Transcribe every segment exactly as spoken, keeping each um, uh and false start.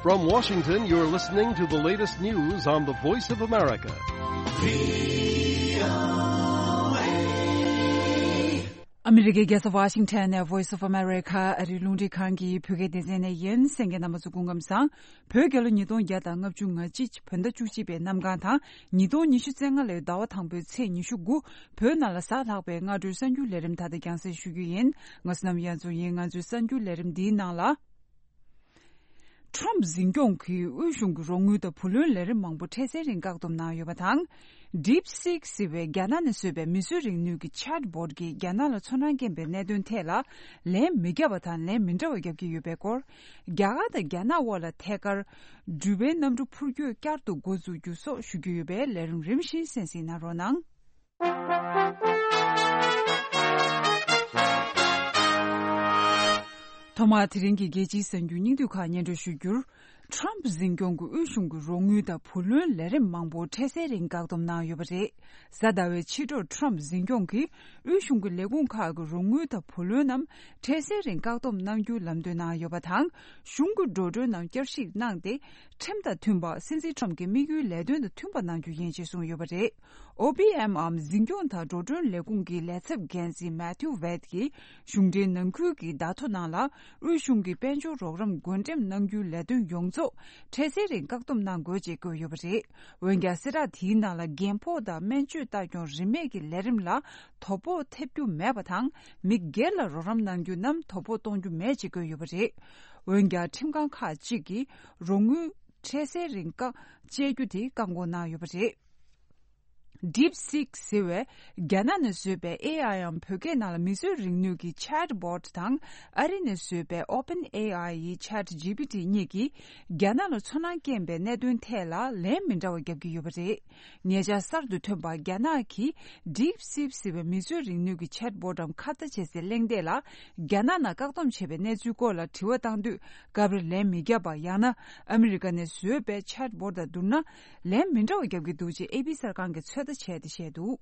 From Washington, you're listening to the latest news on the Voice of America. ཨ་མི་རི་ཀའི་རྒྱལ་ས་ཝ་ཤིང་ཊོན་ནས་Voice of America ཨ་རིའི་རླུང་འཕྲིན་ཁང་གི་བོད་སྐད་སྡེ་ཚན་ནས་ཡིན། གསན་མཁན་རྣམ་པ་ཚོ་སྐུ་ཁམས་བཟང་། བོད་རྒྱལ་ལོ་ཉིས་སྟོང་བརྒྱ་དང་ལྔ་བཅུ་ང་གཅིག་བོད་ཟླ་བཅུ་གཅིག་པའི་གནམ་གང་དང་ཉིས་སྟོང་ཉི་ཤུ་རྩ་ལྔ་ལོའི་ཟླ་བ་དང་པོའི་ཚེས་ཉི་ཤུ་དགུ། བོད་ནང་ལ་གཟའ་ལྷག་པའི་སྔ་དྲོའི་གསར་འགྱུར་ལས་རིམ་ད་ལྟ་རྒྱང་སྲིང་ཞུ་རྒྱུ་ཡིན། ང་བསོད་ནམས་དབྱངས་འཛོམས་ཡིན། ང་ཚོའི་གསར་འགྱུར་ལས་རིམ་འདིའི་ནང་ལ། ཁྲོམ་འཛིན་སྐྱོང་གིས་དབུས་གཞུང་གི་རོགས་དངུལ་དང་བུ་ལོན་ལས་རིམ་མང་པོ་འཕྲལ་སེལ་རིང་བཀག་སྡོམ་གནང་ཡོད་པ་དང་། DeepSeek ཟེར་བའི་རྒྱ་ནག་ནས་བཟོས་པའི་མིས་བཟོས་རིག་ནུས་ཀྱི་ཆེཊ་བོཊ་ཀྱིས་རྒྱ་ནག་ལ་ཚོར་སྣང་སྐྱེན་པའི་གནད་དོན་ཐད་ལ་ལན་མི་བརྒྱབ་པ་དང་ལན་མི་འདྲ་བ་བརྒྱབ་ཀྱི་ཡོད་པའི་སྐོར། རྒྱ་གར་དང་རྒྱ་ནག་དབར་ལ་ཐད་ཀར་འགྲུལ་པའི་གནམ་གྲུ་འཕུར་སྐྱོད་བསྐྱར་དུ་འགོ་འཛུགས་རྒྱུ་སོགས་ཞུ་རྒྱུ་ཡོད་པས། ལས་རིམ་རིམ་བཞིན་གསན་གཟིགས་གནང་རོགས་གནང་། ཐོག་མར་དེ་རིང་གི་རྒྱལ་སྤྱིའི་གསར་འགྱུར་སྙིང་བསྡུས་ཁག་སྙན་སྒྲོན་ཞུ་རྒྱུར། ཁྲོམ་འཛིན་སྐྱོང་གིས་དབུས་གཞུང་གི་རོགས་དངུལ་དང་བུ་ལོན་ལས་རིམ་མང་པོ་འཕྲལ་སེལ་རིང་བཀག་སྡོམ་གནང་ཡོད་པ་རེད། གཟའ་ཟླ་བའི་ཕྱི་དྲོར་ཁྲོམ་འཛིན་སྐྱོང་གིས་དབུས་གཞུང་གི་ལས་ཁུངས་ཁག་གི་རོགས་དངུལ་དང་བུ་ལོན་རྣམས་འཕྲལ་སེལ་རིང་བཀག་སྡོམ་གནང་རྒྱུའི་ལམ་སྟོན་གནང་ཡོད་པ་དང་། གཞུང་གི་འགྲོ་གྲོན་རྣམས་བསྐྱར་ཞིབ་གནང་སྟེ། ཁྲིམས་དང་མཐུན་པ། སྲིད་འཛིན་ཁྲོམ་གྱི་དམིགས་ཡུལ་ལས་དོན་དང་མཐུན་པ་གནང་རྒྱུ་ཡིན་ཞེས་གསུངས་ཡོད་པ་རེད། ཨོ་པི་ཨེམ་འམ་འཛིན་སྐྱོང་དང་འགྲོ་གྲོན་ལས་ཁུངས་ཀྱི་ལས་ཚབ་འགན་འཛིན་མེ་ཐིའུ་ཝེད་ཀྱིས་གཞུང་འབྲེལ་ནང་ཁུལ་གྱི་བརྡ་ཐོ་ནང་ལ། དབུས་གཞུང་གིས་དཔལ་འབྱོར་རོགས་རམ་བགོ་འགྲེམས་གནང་རྒྱུའི་ལས་དོན་ཡོངས་རྫོགས་འཕྲལ་སེལ་རིང་བཀག་སྡོམ་གནང་དགོས་ཅེས་བཀོད་ཡོད་པ་རེད། འོན་ཀྱང་། གསལ་བསྒྲགས་དེའི་ནང་ལ། རྒན་ཕོགས་དང་སྨན་བཅོས་ལྟ་སྐྱོང་རིན་མེད་ཀྱི་ལས་རིམ་ལ་དོ་ཕོག་ཐེབས་རྒྱུ་མེད་པ་དང་། མི་སྒེར་ལ་རོགས་རམ་གནང་རྒྱུ་རྣམས་དོ་ཕོག་གཏོང་རྒྱུ་མེད་ཅེས་བཀོད་ཡོད་པ་རེད། འོན་ཀྱང་། ཁྲིམས་ཁང་ཁག་ཅིག་གིས་རོགས་དངུལ་འཕྲལ་སེལ་རིང་བཀག་བཅད་རྒྱུ་དེ་བཀག་འགོག་གནང་ཡོད་པ་རེད། DeepSeek ཟེར་བས་རྒྱ་ནག་ནས་བཟོས་པའི་ཨེ་ཨའི་འམ་བོད་སྐད་ནང་ལ་མིས་བཟོས་རིག་ནུས་ཀྱི་ཆེཊ་བོཊ་དང་། ཨ་རི་ནས་བཟོས་པའི་ཨོ་པན་ཨེ་ཨའི་ཡི་ཆེཊ་ཇི་པི་ཊི་གཉིས་ཀྱིས་རྒྱ་ནག་ལ་ཚོར་སྣང་སྐྱེན་པའི་གནད་དོན་ཐད་ལ་ལན་མི་འདྲ་བ་བརྒྱབ་ཀྱི་ཡོད་པ་རེད། ཉེ་ཆར་གསར་དུ་ཐོན་པ་རྒྱ་ནག་གིས་DeepSeek ཟེར་བའི་མིས་བཟོས་རིག་ནུས་ཀྱི་ཆེཊ་བོཊ་འམ་ཁ་བརྡ་བྱེད་སའི་གླེང་སྟེགས་ལ་རྒྱ་ནག་ནང་བཀག་སྡོམ་བྱས་པའི་གནས་ཚུལ་སྐོར་ལ་དྲི་བ་བཏང་དུས། སྐབས་རེ་ལན་མི་བརྒྱབ་པ། ཡང་ན་ཨ་མི་རི་ཀ་ནས་བཟོས་པའི་ཆེཊ་བོཊ་དང་བསྡུར་ན་ལན་མི་འདྲ་བ་བརྒྱབ་ཀྱི་འདུག་ཅེས་ཨེ་པི་གསར་ཁང་གིས་ཚོད་ལྟ་བྱས་ཏེ་བཤད་འདུག་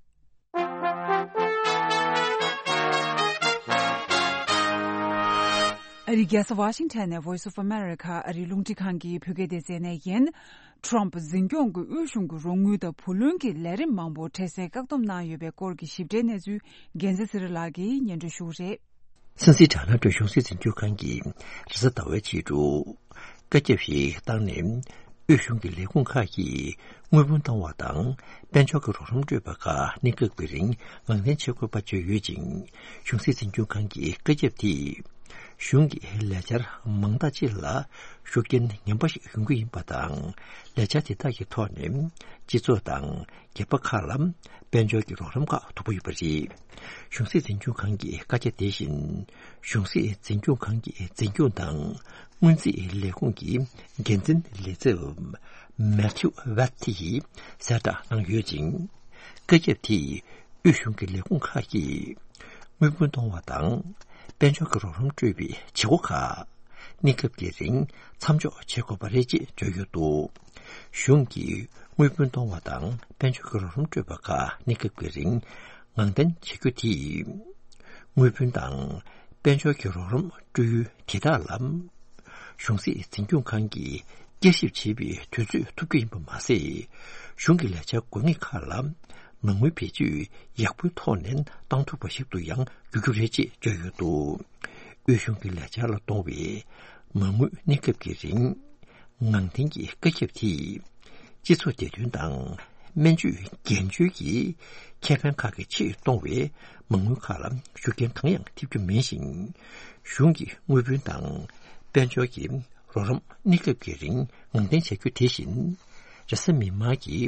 ཨ་རིའི་རྒྱལ་ས་ཝ་ཤིང་ཊོན་ནས་Voice of America ཨ་རིའི་རླུང་འཕྲིན་ཁང་གི་བོད་སྐད་སྡེ་ཚན་ནས་ཡིན། ཁྲོམ་འཛིན་སྐྱོང་གིས་དབུས་གཞུང་གི་རོགས་དངུལ་དང་བུ་ལོན་གྱི་ལས་རིམ་མང་པོ་འཕྲལ་སེལ་བཀག་སྡོམ་གནང་ཡོད་པའི་སྐོར་གྱི་ཞིབ་ཕྲའི་གནས་ཚུལ་རྒྱལ་མཚན་ཚེ་རིང་ལགས་ཀྱིས་སྙན་སྒྲོན་ཞུ་གི་རེད། སྲིད་འཛིན་ཌོ་ནལ་ཊམ་གཞུང་སྲིད་འཛིན་སྐྱོང་ཁང་གིས་རེས་གཟའ་ཟླ་བའི་ཕྱི་དྲོ་བཀའ་ཁྱབ་ཞིག་བཏང་ནས། དབུས་གཞུང་གི་ལས་ཁུངས་ཁག་གིས་དངུལ་བུན་གཏོང་བ་དང་། དཔལ་འབྱོར་གྱི་རོགས་རམ་སྤྲོད་པ་ཁག་གནས་སྐབས་ཀྱི་རིང་ངང་འཐེན་བྱེད་དགོས་པ་བརྗོད་ཡོད་ཅིང་། གཞུང་སྲིད་འཛིན་སྐྱོང་ཁང་གི་བཀའ་ཁྱབ་དེས། གཞུང་གི་ལས་འཆར་མང་དག་ཅིག་ལ་ཤུགས་རྐྱེན་ངན་པ་ཞིག་ཡོང་གི་ཡིན་པ་དང་། ལས་འཆར་དེ་དག་གི་ཐོག་ནས་སྤྱི་ཚོགས་དང་། སྒེར་པ་ཁག་ལ་དཔལ་འབྱོར་གྱི་རོགས་རམ་ཁག་ཐོབ་ཀྱི་ཡོད་པ་རེད། གཞུང་སྲིད་འཛིན་སྐྱོང་ཁང་གི་བཀའ་རྒྱ་དེ་བཞིན། གཞུང་སྲིད་འཛིན་སྐྱོང་ཁང་གི་འཛིན་སྐྱོང་དང་སྔོན་རྩིས་ལས་ཁུངས་ཀྱི་འགན་འཛིན་ལས་ཚབ་མེ་ཐིའུ་ཝེད་ཡིས་གསལ་བསྒྲགས་གནང་ཡོད་ཅིང་། བཀའ་ཁྱབ་དེས་དབུས་གཞུང་གི་ལས་ཁུངས་ཁག་གིས་དངུལ་བུན་གཏོང་བ་དང་། དཔལ་འབྱོར་གྱི་རོགས་རམ་སྤྲོད་པའི་བྱེད་སྒོ་ཁག་གནས་སྐབས་ཀྱི་རིང་མཚམས་འཇོག་བྱེད་དགོས་པ་རེད་ཅེས་བརྗོད་ཡོད་འདུག་གཞུང་གིས་དངུལ་བུན་གཏོང་བ་དང་དཔལ་འབྱོར་གྱི་རོགས་རམ་སྤྲོད་པ་ཁག་གནས་སྐབས་ཀྱི་རིང་ངང་འཐེན་བྱེད་རྒྱུ་དེས། དངུལ་བུན་དང་དཔལ་འབྱོར་གྱི་རོགས་རམ་སྤྲོད་ཡུལ་དེ་དག་ལ། གཞུང་སྲིད་འཛིན་སྐྱོང་ཁང་གིས་བསྐྱར་ཞིབ་བྱེད་པའི་དུས་ཚོད་ཐོབ་རྒྱུ་ཡིན་པ་མ་ཟད། གཞུང་གི་ལས་འཆར་དགོས་ངེས་ཁག་ལ་མ་དངུལ་བེད་སྤྱོད་ཡག་པོའི་ཐོག་ནས་གཏང་ཐུབ་པ་ཞིག་ཏུ་ཡང་འགྱུར་རྒྱུ་རེད་ཅེས་བརྗོད་ཡོད་འདུག་དབུས་གཞུང་གི་ལས་འཆར་ལ་གཏོང་བའི་མ་དངུལ་གནས་སྐབས་ཀྱི་རིང་ངང་འཐེན་གྱི་བཀའ་ཁྱབ་དེས། སྤྱི་ཚོགས་བདེ་དོན་དང་སྨན་བཅོས་འགན་བཅོལ་གྱི་ཁེ་ཕན་ཁག་གི་ཆེད་གཏོང་བའི་མ་དངུལ་ཁག་ལ་ཤུགས་རྐྱེན་གང་ཡང་ཐེབས་རྒྱུ་མིན་ཞིང་། གཞུང་གི་དངུལ་བུན་དང་དཔལ་འབྱོར་གྱི་རོགས་རམ་གནས་སྐབས་ཀྱི་རིང་ངང་འཐེན་བྱ་རྒྱུ་དེ་བཞིན། རེས་གཟའ་མིག་དམར་གྱི་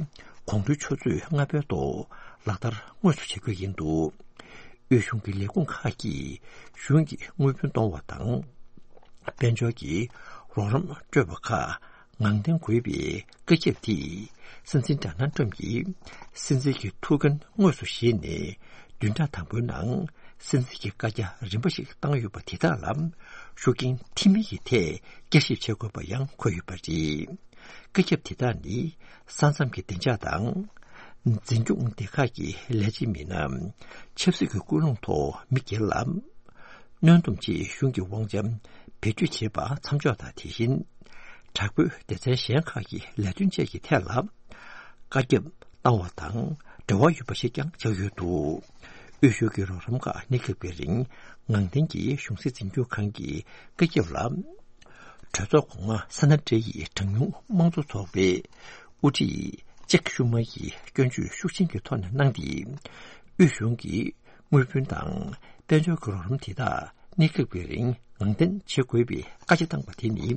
དགོང་དྲོའི་ཆུ་ཚོད་ལྔ་པའི་ཐོག་ལག་བསྟར་དངོས་སུ་བྱ་རྒྱུ་ཡིན་འདུག་དབུས་གཞུང་གི་ལས་ཁུངས་ཁག་གིས་གཞུང་གི་དངུལ་བུན་གཏོང་བ་དང་། དཔལ་འབྱོར་གྱི་རོགས་རམ་སྤྲོད་པ་ཁག་ངང་འཐེན་དགོས་པའི་བཀའ་ཁྱབ་དེས། སྲིད་འཛིན་ཌོ་ནལ་ཊམ་གྱིས་སྲིད་འཛིན་གྱི་ཐུགས་འགན་དངོས་སུ་བཞེས་ནས། བདུན་ཕྲག་དང་པོའི་ནང་སྲིད་འཛིན་གྱི་བཀའ་རྒྱ་རིམ་པ་ཞིག་བཏང་ཡོད་པ་དེ་དག་ལ་ཤུགས་རྐྱེན་ཐེབས་མིན་གྱི་ཐད་བསྐྱར་ཞིབ་བྱེད་དགོས་པ་ཡང་འཁོད་ཡོད་པ་རེད། བཀའ་ཁྱབ་དེ་དག་ནི་ས་མཚམས་ཀྱི་བདེ་འཇགས་དང་། འཛིན་སྐྱོང་སྡེ་ཁག་གི་ལས་བྱེད་མི་སྣ་ཆབ་སྲིད་ཀྱི་ཀུན་སློང་ཐོག་མི་སྒེར་ལ་གནོན་སྡོམ་ཆེད་གཞུང་གི་དབང་ཆ་བེད་སྤྱོད་བྱེད་པ་མཚམས་འཇོག་དང་། དེ་བཞིན་ དྲག་པོའི་སྡེ་ཚན་གཞན་ཁག་གི་ལས་དོན་བཅས་ཀྱི་ཐད་ལ་བཀའ་ཁྱབ་བཏང་བ་དང་འབྲེལ་བ་ཡོད་པ་ཞིག་ཀྱང་ཆགས་ཡོད་འདུག། དབུས་གཞུང་གི་རོགས་རམ་ཁག་གནས་སྐབས་ཀྱི་རིང་ངང་བསྟན་གྱིས་གཞུང་སྲིད་འཛིན་སྐྱོང་ཁང་གི་བཀའ་ཁྱབ་ལ། གྲོས་ཚོགས་སྒོ་ང་ས་ན་འབྲེལ་ཡོད་གྲངས་ཉུང་དམངས་གཙོ་ཚོགས་པའི་དབུ་ཁྲིད་ཅེག་ཤུ་མ་ཡིས་སྐྱོན་བརྗོད་ཤུགས་ཆེན་གྱི་ཐོག་ནས་གནང་སྟེ། དབུས་གཞུང་གིས་དངུལ་བུན་དང་དཔལ་འབྱོར་གྱི་རོགས་རམ་དེ་དག་གནས་སྐབས་ཀྱི་རིང་ངང་འཐེན་བྱེད་དགོས་པའི་བཀའ་རྒྱ་བཏང་བ་དེ་ནི།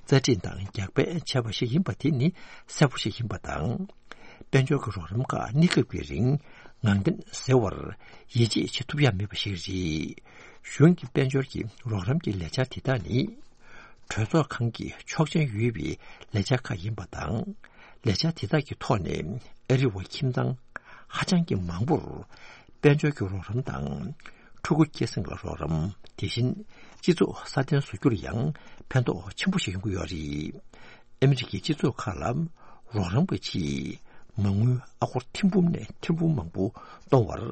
རྩ་ཁྲིམས་དང་རྒྱག་འབད་བྱས་པ་ཞིག་ཡིན་པ་དེ་ནི་གསལ་པོ་ཞིག་ཡིན་པ་དང་། དཔལ་འབྱོར་གྱི་རོགས་རམ་ཁག་གནས་སྐབས་ཀྱི་རིང་ངང་འཐེན་ཟེར་བར་ཡིད་ཆེས་བྱེད་ཐུབ་ཡ་མེད་པ་ཞིག་རེད། གཞུང་གི་དཔལ་འབྱོར་གྱི་རོགས་རམ་གྱི་ལས་འཆར་དེ་དག་ནི། གྲོས་ཚོགས་ཁང་གི་ཆོག་མཆན་ཡོད་པའི་ལས་འཆར་ཁག་ཡིན་པ་དང་། ལས་འཆར་དེ་དག་གི་ཐོག་ནས་ཨ་རི་བ་ཁྱིམ་ཚང་ཧ་ཅང་གི་མང་པོར་དཔལ་འབྱོར་གྱི་རོགས་རམ་དང་། ཕྲུ་གུ་སྐྱེད་སྲིང་ལ་རོགས་རམ། དེ་བཞིན་སྤྱི་ཚོགས་སྲ་བརྟན་བཟོ་རྒྱུར་ཡང་ཕན་ཐོགས་ཆེན་པོ་ཞིག་ཡོང་གི་ཡོད་རེད། ཨ་མི་རི་ཀའི་སྤྱི་ཚོགས་ཁག་ལ་རོགས་རམ་གྱི་ཆེད་མ་དངུལ་ཨ་སྒོར་ཐེར་འབུམ་ནས་ཐེར་འབུམ་མང་པོ་གཏོང་བར་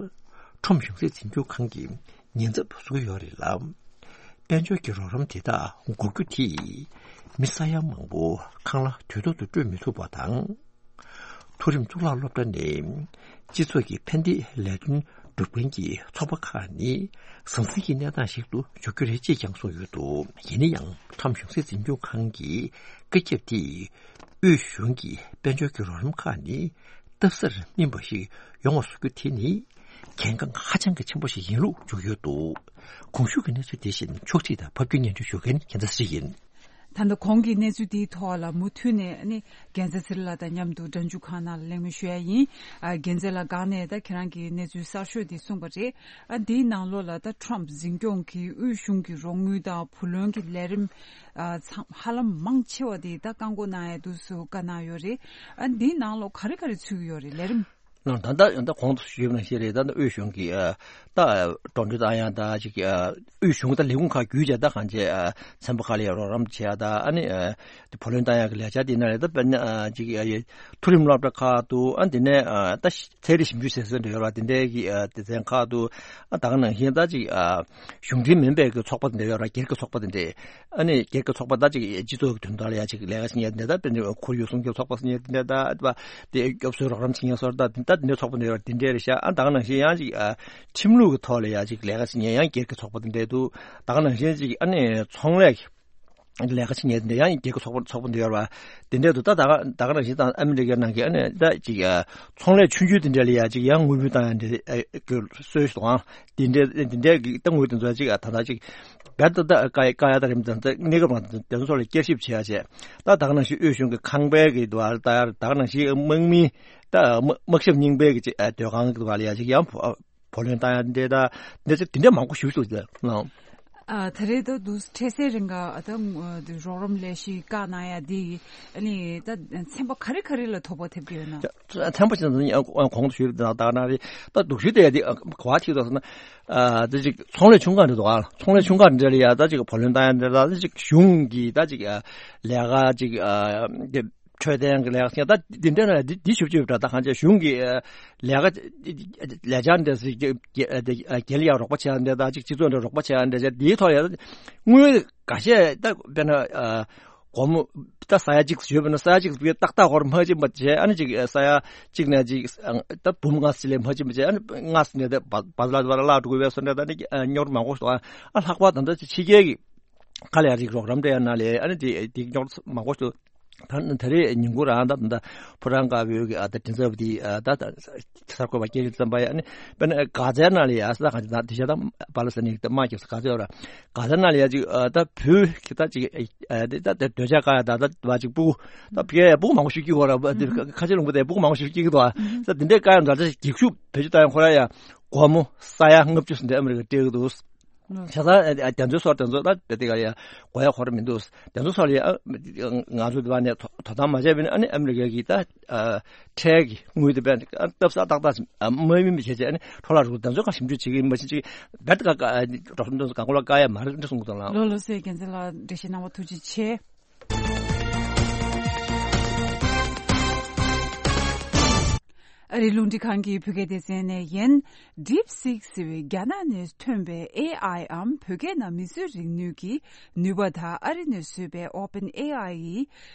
ཁྲོམ་གཞུང་སྲིད་འཛིན་སྐྱོང་ཁང་གིས་ཉེན་ཚབས་བཟོ་གི་ཡོད་རེད་ལ། དཔལ་འབྱོར་གྱི་རོགས་རམ་དེ་དག་འགོག་རྒྱུ་དེས་མི་ས་ཡ་མང་པོ་ཁང་གླ་དུས་ཐོག་ཏུ་སྤྲོད་མི་ཐུབ་པ་དང་། མཐོ་རིམ་གཙུག་ལག་སློབ་གྲྭ་ནས་སྤྱི་ཚོགས་ཀྱི་ཕན་བདེའི་ལས་དོན་སྒྲུབ་མཁན་གྱི་ཚོགས་པ་ཁག་ནི་ཟང་ཟིང་གི་གནས་སྟངས་ཤིག་ཏུ་འཇུག་རྒྱུ་རེད་ཅེས་ཀྱང་གསུངས་ཡོད་འདུག། ཡིན་ན་ཡང་ཁྲོམ་གཞུང་སྲིད་འཛིན་སྐྱོང་ཁང་གི་བཀའ་ཁྱབ་དེས་དབུས་གཞུང་གི་དཔལ་འབྱོར་གྱི་རོགས་རམ་ཁག་ནི་སྟབས་གསེག་སྨིན་པ་ཞིག་ཡོང་བ་བཟོ་རྒྱུ་དེ་ནི་གལ་འགངས་ཧ་ཅང་གི་ཆེན་པོ་ཞིག་ཡིན་ལུགས་བརྗོད་ཡོད་འདུག། གོང་ཞུས་ཀྱི་གནས་ཚུལ་དེ་བཞིན་ཕྱོགས་སྒྲིག་དང་ཕབ་སྒྱུར་སྙན་སྒྲོན་ཞུ་མཁན་རྒྱལ་མཚན་ཚེ་རིང་ཡིན། ད་ལྟ་གོང་གི་གནས་ཚུལ་འདིའི་ཐོག་ལ་མུ་མཐུད་ནས་ནི་རྒྱལ་མཚན་ཚེ་རིང་ལགས་དང་མཉམ་དུ་སྒྲ་འཇུག་ཁང་ནང་ལ་གླེང་མོལ་ཞུ་ཡ་ཡིན། ཨ། རྒྱལ་མཚན་ལགས་སྒང་ནས་ད་ཁྱེད་རང་གིས་གནས་ཚུལ་གསར་ཤོས་འདི་གསུངས་པ་རེད། ཨ། འདིའི་ནང་ལོགས་ལ་ད་ཁྲོམ་འཛིན་སྐྱོང་གི་དབུས་གཞུང་གི་རོགས་དངུལ་དང་བུ་ལོན་གྱི་ལས་རིམ། ཨ། ཚང་ཧ་ལམ་མང་ཆེ་བ་དེ་ད་བཀག་འགོག་གནང་ཡ་འདུག་སུ་བཀའ་གནང་ཡོད་རེད། ཨ། འདིའི་ནང་ལོགས་ག་རེ་ག་རེ་ཚུད་ཀྱི་ཡོད་རེད་ལས་རིམ། ད་ལྟ་ད་གོང་དུ་ཞུས་པ་ནང་བཞིན་རེད། ད་ལྟ་དབུས་གཞུང་གིས་ཨ། ད་འགྲོ་གྲོན་བཏང་ཡ་ད་ཅིག་ཨ། དབུས་གཞུང་ད་ལས་ཁུངས་ཁག་བརྒྱུད་བྱས་ད་གང་བྱས་ཨ། ཚན་པ་ཁག་ལ་ཡ་རོགས་རམ་བྱེད་ཡ་ད་ཨ་ནི་ཨ། དེ་བུ་ལོན་བཏང་ཡ་གི་ལས་འཆར་དེ་ནང་ལ་ད་དཔེར་ན་ཨ། ཅིག་ཨ། མཐོ་རིམ་སློབ་གྲྭ་ཁག་ཏུ་ཨ། དེ་ནས་ཨ། ད་ཚན་རིག་ཞིབ་འཇུག་ཟེར་ཟེར་འདྲ་ཡོད་ར། དེ་འདྲའི་གི་ཨ། སྡེ་ཚན་ཁག་ཏུ་ཨ། ད་ག་ནང་བཞིན་ད་ཅིག་ཨ། གཞུང་འབྲེལ་མིན་པའི་གི་ཚོགས་པ་དེ་འདྲ་ཡོད་ར། སྒེར་གྱི་ཚོགས་པ་དེ་འདྲས། ཨ་ནི་སྒེར་གྱི་ཚོགས་པ་ད་ཅིག་སྤྱི་ཚོགས་ཀྱི་དོན་དག་ལ་ཡ་ཅིག་ལས་ཀ་བྱེད་མཁན་དེ་འདྲ་ད་དཔེར་ན་ཁོར་ཡུག་སྲུང་སྐྱོབ་ཚོགས་པ་ཟེར་མཁན་དེ་འདྲ་ད་དེ་སྐྱོབ་གསོའི་རོགས་རམ་བྱེད་མཁན་སོགས་ད་དེ་འདྲའི་ཚོགས་པ་འདྲ་ཡོད་ར། དེ་འདྲས་རེད་ཤག། ཨ། ད་ག་ནང་བཞིན་ཡང་ཅིག་ཨ། ཁྲིམས་ལུགས་ཀྱི་ཐོག་ལ་ཡ་ཅིག་ལས་ཀ་བྱེད་མཁན་ཡང་སྒེར་གྱི་ཚོགས་པ་དེ་འདྲས་འདུག། ད་ག་ནང་བཞིན་ཅིག་ཨ་ནི་ཚོང་ལས་ཀྱི་ལས་ཀ་བྱེད་མཁན་དེ་འདྲ་ཡང་སྒེར་གྱི་ཚོགས་པ་ཚོགས་པ་འདྲ་ཡོད་ར། དེ་འདྲས་འདུག། ད་ད་ག་ད་ག་ནང་བཞིན་ད་ཨ་མི་རི་ཀའི་ནང་གི་ཨ་ནི་ད་ཅིག་ཨ། ཚོང་ལས་ཆུང་ཆུང་དེ་འདྲས་ལ་ཡ་ཅིག་ཡང་དངུལ་བུན་བཏང་ཡ་འདྲ་ཨ། གི་སྲོལ་ཞིག་འདུག། ཨང་། དེ་འདྲའི་དེ་འདྲའི་གི་ཏང་ངོས་དེ་ཚོ་ཅིག་ཨ། ད་ལྟ་ཅིག་རྦད་དེ་ད་བཀག་བཀག་ཡ་ད་རིམ་དང་ད་གནས་སྐབས་རང་དེ་ཚོ་ལ་བསྐྱར་ཞིབ་བྱེད་ཡ་བྱས། ད་ད་ག་ནང་བཞིན་དབུས་གཞུང་གི་ཁང་པའི་གི་དུ་བ་ད་ཡ་ད་ག་ནང་བཞིན་དམག་མི་ད་དམག་དམག་ཞབས་རྙིང་པའི་གི་ཅིག་ཨ། སྡོད་ཁང་གི་དུ་བ་ལ་ཡ་ཅིག་ཡང་བུ་ཨ། བུ་ལོན་བཏང་ཡ་འདྲ་ད་འདྲ་ཅིག་དེ་འདྲ་མང་པོ་ཞིག་འདུག་ཟེར་ལ། ཨ། ད་རེས་ད་དུ་འཕྲལ་སེལ་རིང་ག་ད་རོགས་རམ་ལས་གཞི་བཀག་གནང་ཡ་འདི་ཨ་ནི་ད་ཚན་པ་ག་རེ་ག་རེ་ལ་དོ་ཕོག་ཐེབས་ཀྱི་ཡོད་ན། ཚན་པ་ཅིག་ད་གོང་དུ་ཞུས་པ་ད་ན་རེ་ད་སྡུག་ཤོས་དེ་ཡ་དེ་ག་བ་ཐིག་ཏོ་ཟེར་ན། ཨ། ད་ཅིག་ཚོང་ལས་ཆུང་ཁག་འདྲ་འདུག་ཨ། ཚོང་ལས་ཆུང་ཁག་འདྲ་ལ་ཡ་ད་ཅིག་བུ་ལོན་བཏང་ཡ་འདྲ་ད་ཅིག་གཞུང་གི་ད་ཅིག་ཨ། ལས་ཀ་ཅིག་ཨ། འཕྲོད་བསྟེན་གྱི་ལས་ཀ་ཟེར་ད་འདི་འདྲ་ན་འདི་འདི་ཞུ་ཅིག་ད་ད་གང་ཅི་གཞུང་གི་ལས་ཀ་ལས་འཆར་འདྲ་ཟེར་གྱི་རྒྱལ་ལ་ཡང་རོགས་པ་བྱེད་ཡ་འདྲ་ད་ཅིག་སྤྱི་ཚོགས་འདྲ་རོགས་པ་བྱེད་ཡ་འདྲ་བྱས་འདིའི་ཐོག་ལ་ཡང་དངུལ་འགའ་ཤས་ད་དཔེར་ན་སྒོར་མོ་ད་ས་ཡ་གཅིག་ཞུས་པ་ན་ས་ཡ་གཅིག་ཏག་ཏག་སྒོར་མ་གཅིག་མ་བྱས། ཨ་ནི་ཅིག་ས་ཡ་གཅིག་ནས་ཅིག་ད་འབུམ་ལྔ་ཙམ་ལས་མ་གཅིག་མ་བྱས། ཨ་ནི་ལྔ་ཙམ་ནས་ད་བ་བ་ལ་བ་ལ་བླ་འགྲོ་གི་བས་སོ་འདྲ་ད་ནི་རྙོག་མང་པོ་ཞིག་འདུག། ཨ་ལྷག་པར་ད་ལྟ་ཕྱི་རྒྱལ་གྱི་ཁ་ལ་ཡ་ཅིག་རོགས་རམ་སྤྲད་ཡ་ན་ལས་ཨ་ནི་དེ་དེ་རྙོག་མང་པོ་ཞིག་འདུག། ད་ད་རེས་ཉིན་གུང་རང་ད་ད་ཕོ་བྲང་དཀར་པོའི་གི་ཨ་ད་མགྲིན་ཚབ་དེ་ཨ་ད་ད་གསར་འགོད་པ་སྐད་ཆ་བརྩམས་པ་ཡ་ཨ་ནི་དཔེར་ན་གྷ་ཛའི་ནང་ལ་ཡ་ས་ག་ད་དེ་ཤ་ད་པ་ལ་སི་ནི་ད་དམག་རྒྱབ་ས་གྷ་ཛའི་ར་གྷ་ཛའི་ནང་ལ་ཡ་ཅིག་ཨ་ད་བོད་ཀྱི་ད་ཅིག་ཨ་དེ་ད་དེ་འདོད་ཆགས་དཀར་ཡ་ད་ད་བ་ཅིག་སྤུ་གུ་ད་ཕ་གིའི་སྤུ་གུ་མང་པོ་ཞིག་སྐྱེ་གི་ཡོད་ར། ཁ་ཆེ་ལུང་པ་དེ་སྤུ་གུ་མང་པོ་ཞིག་སྐྱེ་གི་འདུག་ཨ། ད་དེ་འདྲའི་དཀར་ཡ་འདྲ་ད་ཅིག་གེགས་ཤུགས་བེད་སྤྱོད་བཏང་ཡ་ཁོ་ར་ཡ་སྒོར་མོ་ས་ཡ་ལྔ་བཅུ་ཟིན་ཏེ་ཨ་མི་རི་ཀ་སྤྲད་གི་འདུག། བྱས་ཙང་ཨ་དེ་ཚོའི་སོགས་དེ་ཚོ་ད་དེ་ག་ཡ་གོ་ཡ་ཁོ་ར་མི་འདུག། དེ་ཚོ་སོགས་ལ་ཡ་ཨ་ང་ཚོ་དེ་བ་ནས་དོ་དོ་དམ་མ་བྱས་པ་ནི་ཨ་ནི་ཨ་མི་རི་ཀའི་གི་ད་ཨ་ཁྲལ་གི་དངུལ་དེ་བས་ཨ་སྟབས་གསེག་ཏག་ཏག་ཨ་མ་ཡིན་པ་བྱས་བྱས་ཨ་ནི་འཕྲོ་བརླག་འགྲོ། དེ་ཚོ་ག་ཞིབ་འཇུག་བྱེད་ཀྱི་ཡིན་པ་ཞིག་ཅིག་རྦད་དེ་ག་ག་ཨ་རོགས་ཚོ་དེ་ཚོ་གང་གོ་ལ་དཀར་ཡ་མ་རེད་འདྲ་གསུང་གི་འདུག་ལགས། ལགས་ལགས་སོ། རྒྱལ་མཚན་ལགས་འགྲེལ་བཤད་གནང་བ་ཐུགས་རྗེ་ཆེ། ཨ་རིའི་རླུང་འཕྲིན་ཁང་གི་བོད་སྐད་སྡེ་ཚན་ནས་ཡིན། DeepSeek ཟེར་བའི་རྒྱ་ནག་ནས་ཐོན་པའི་ཨེ་ཨའི་འམ་བོད་སྐད་ནང་མིས་བཟོས་རིག་ནུས་ཀྱི་ནུས་པ་དང་། ཨ་རི་ནས་བཟོས་པའི་OpenAI ཡི་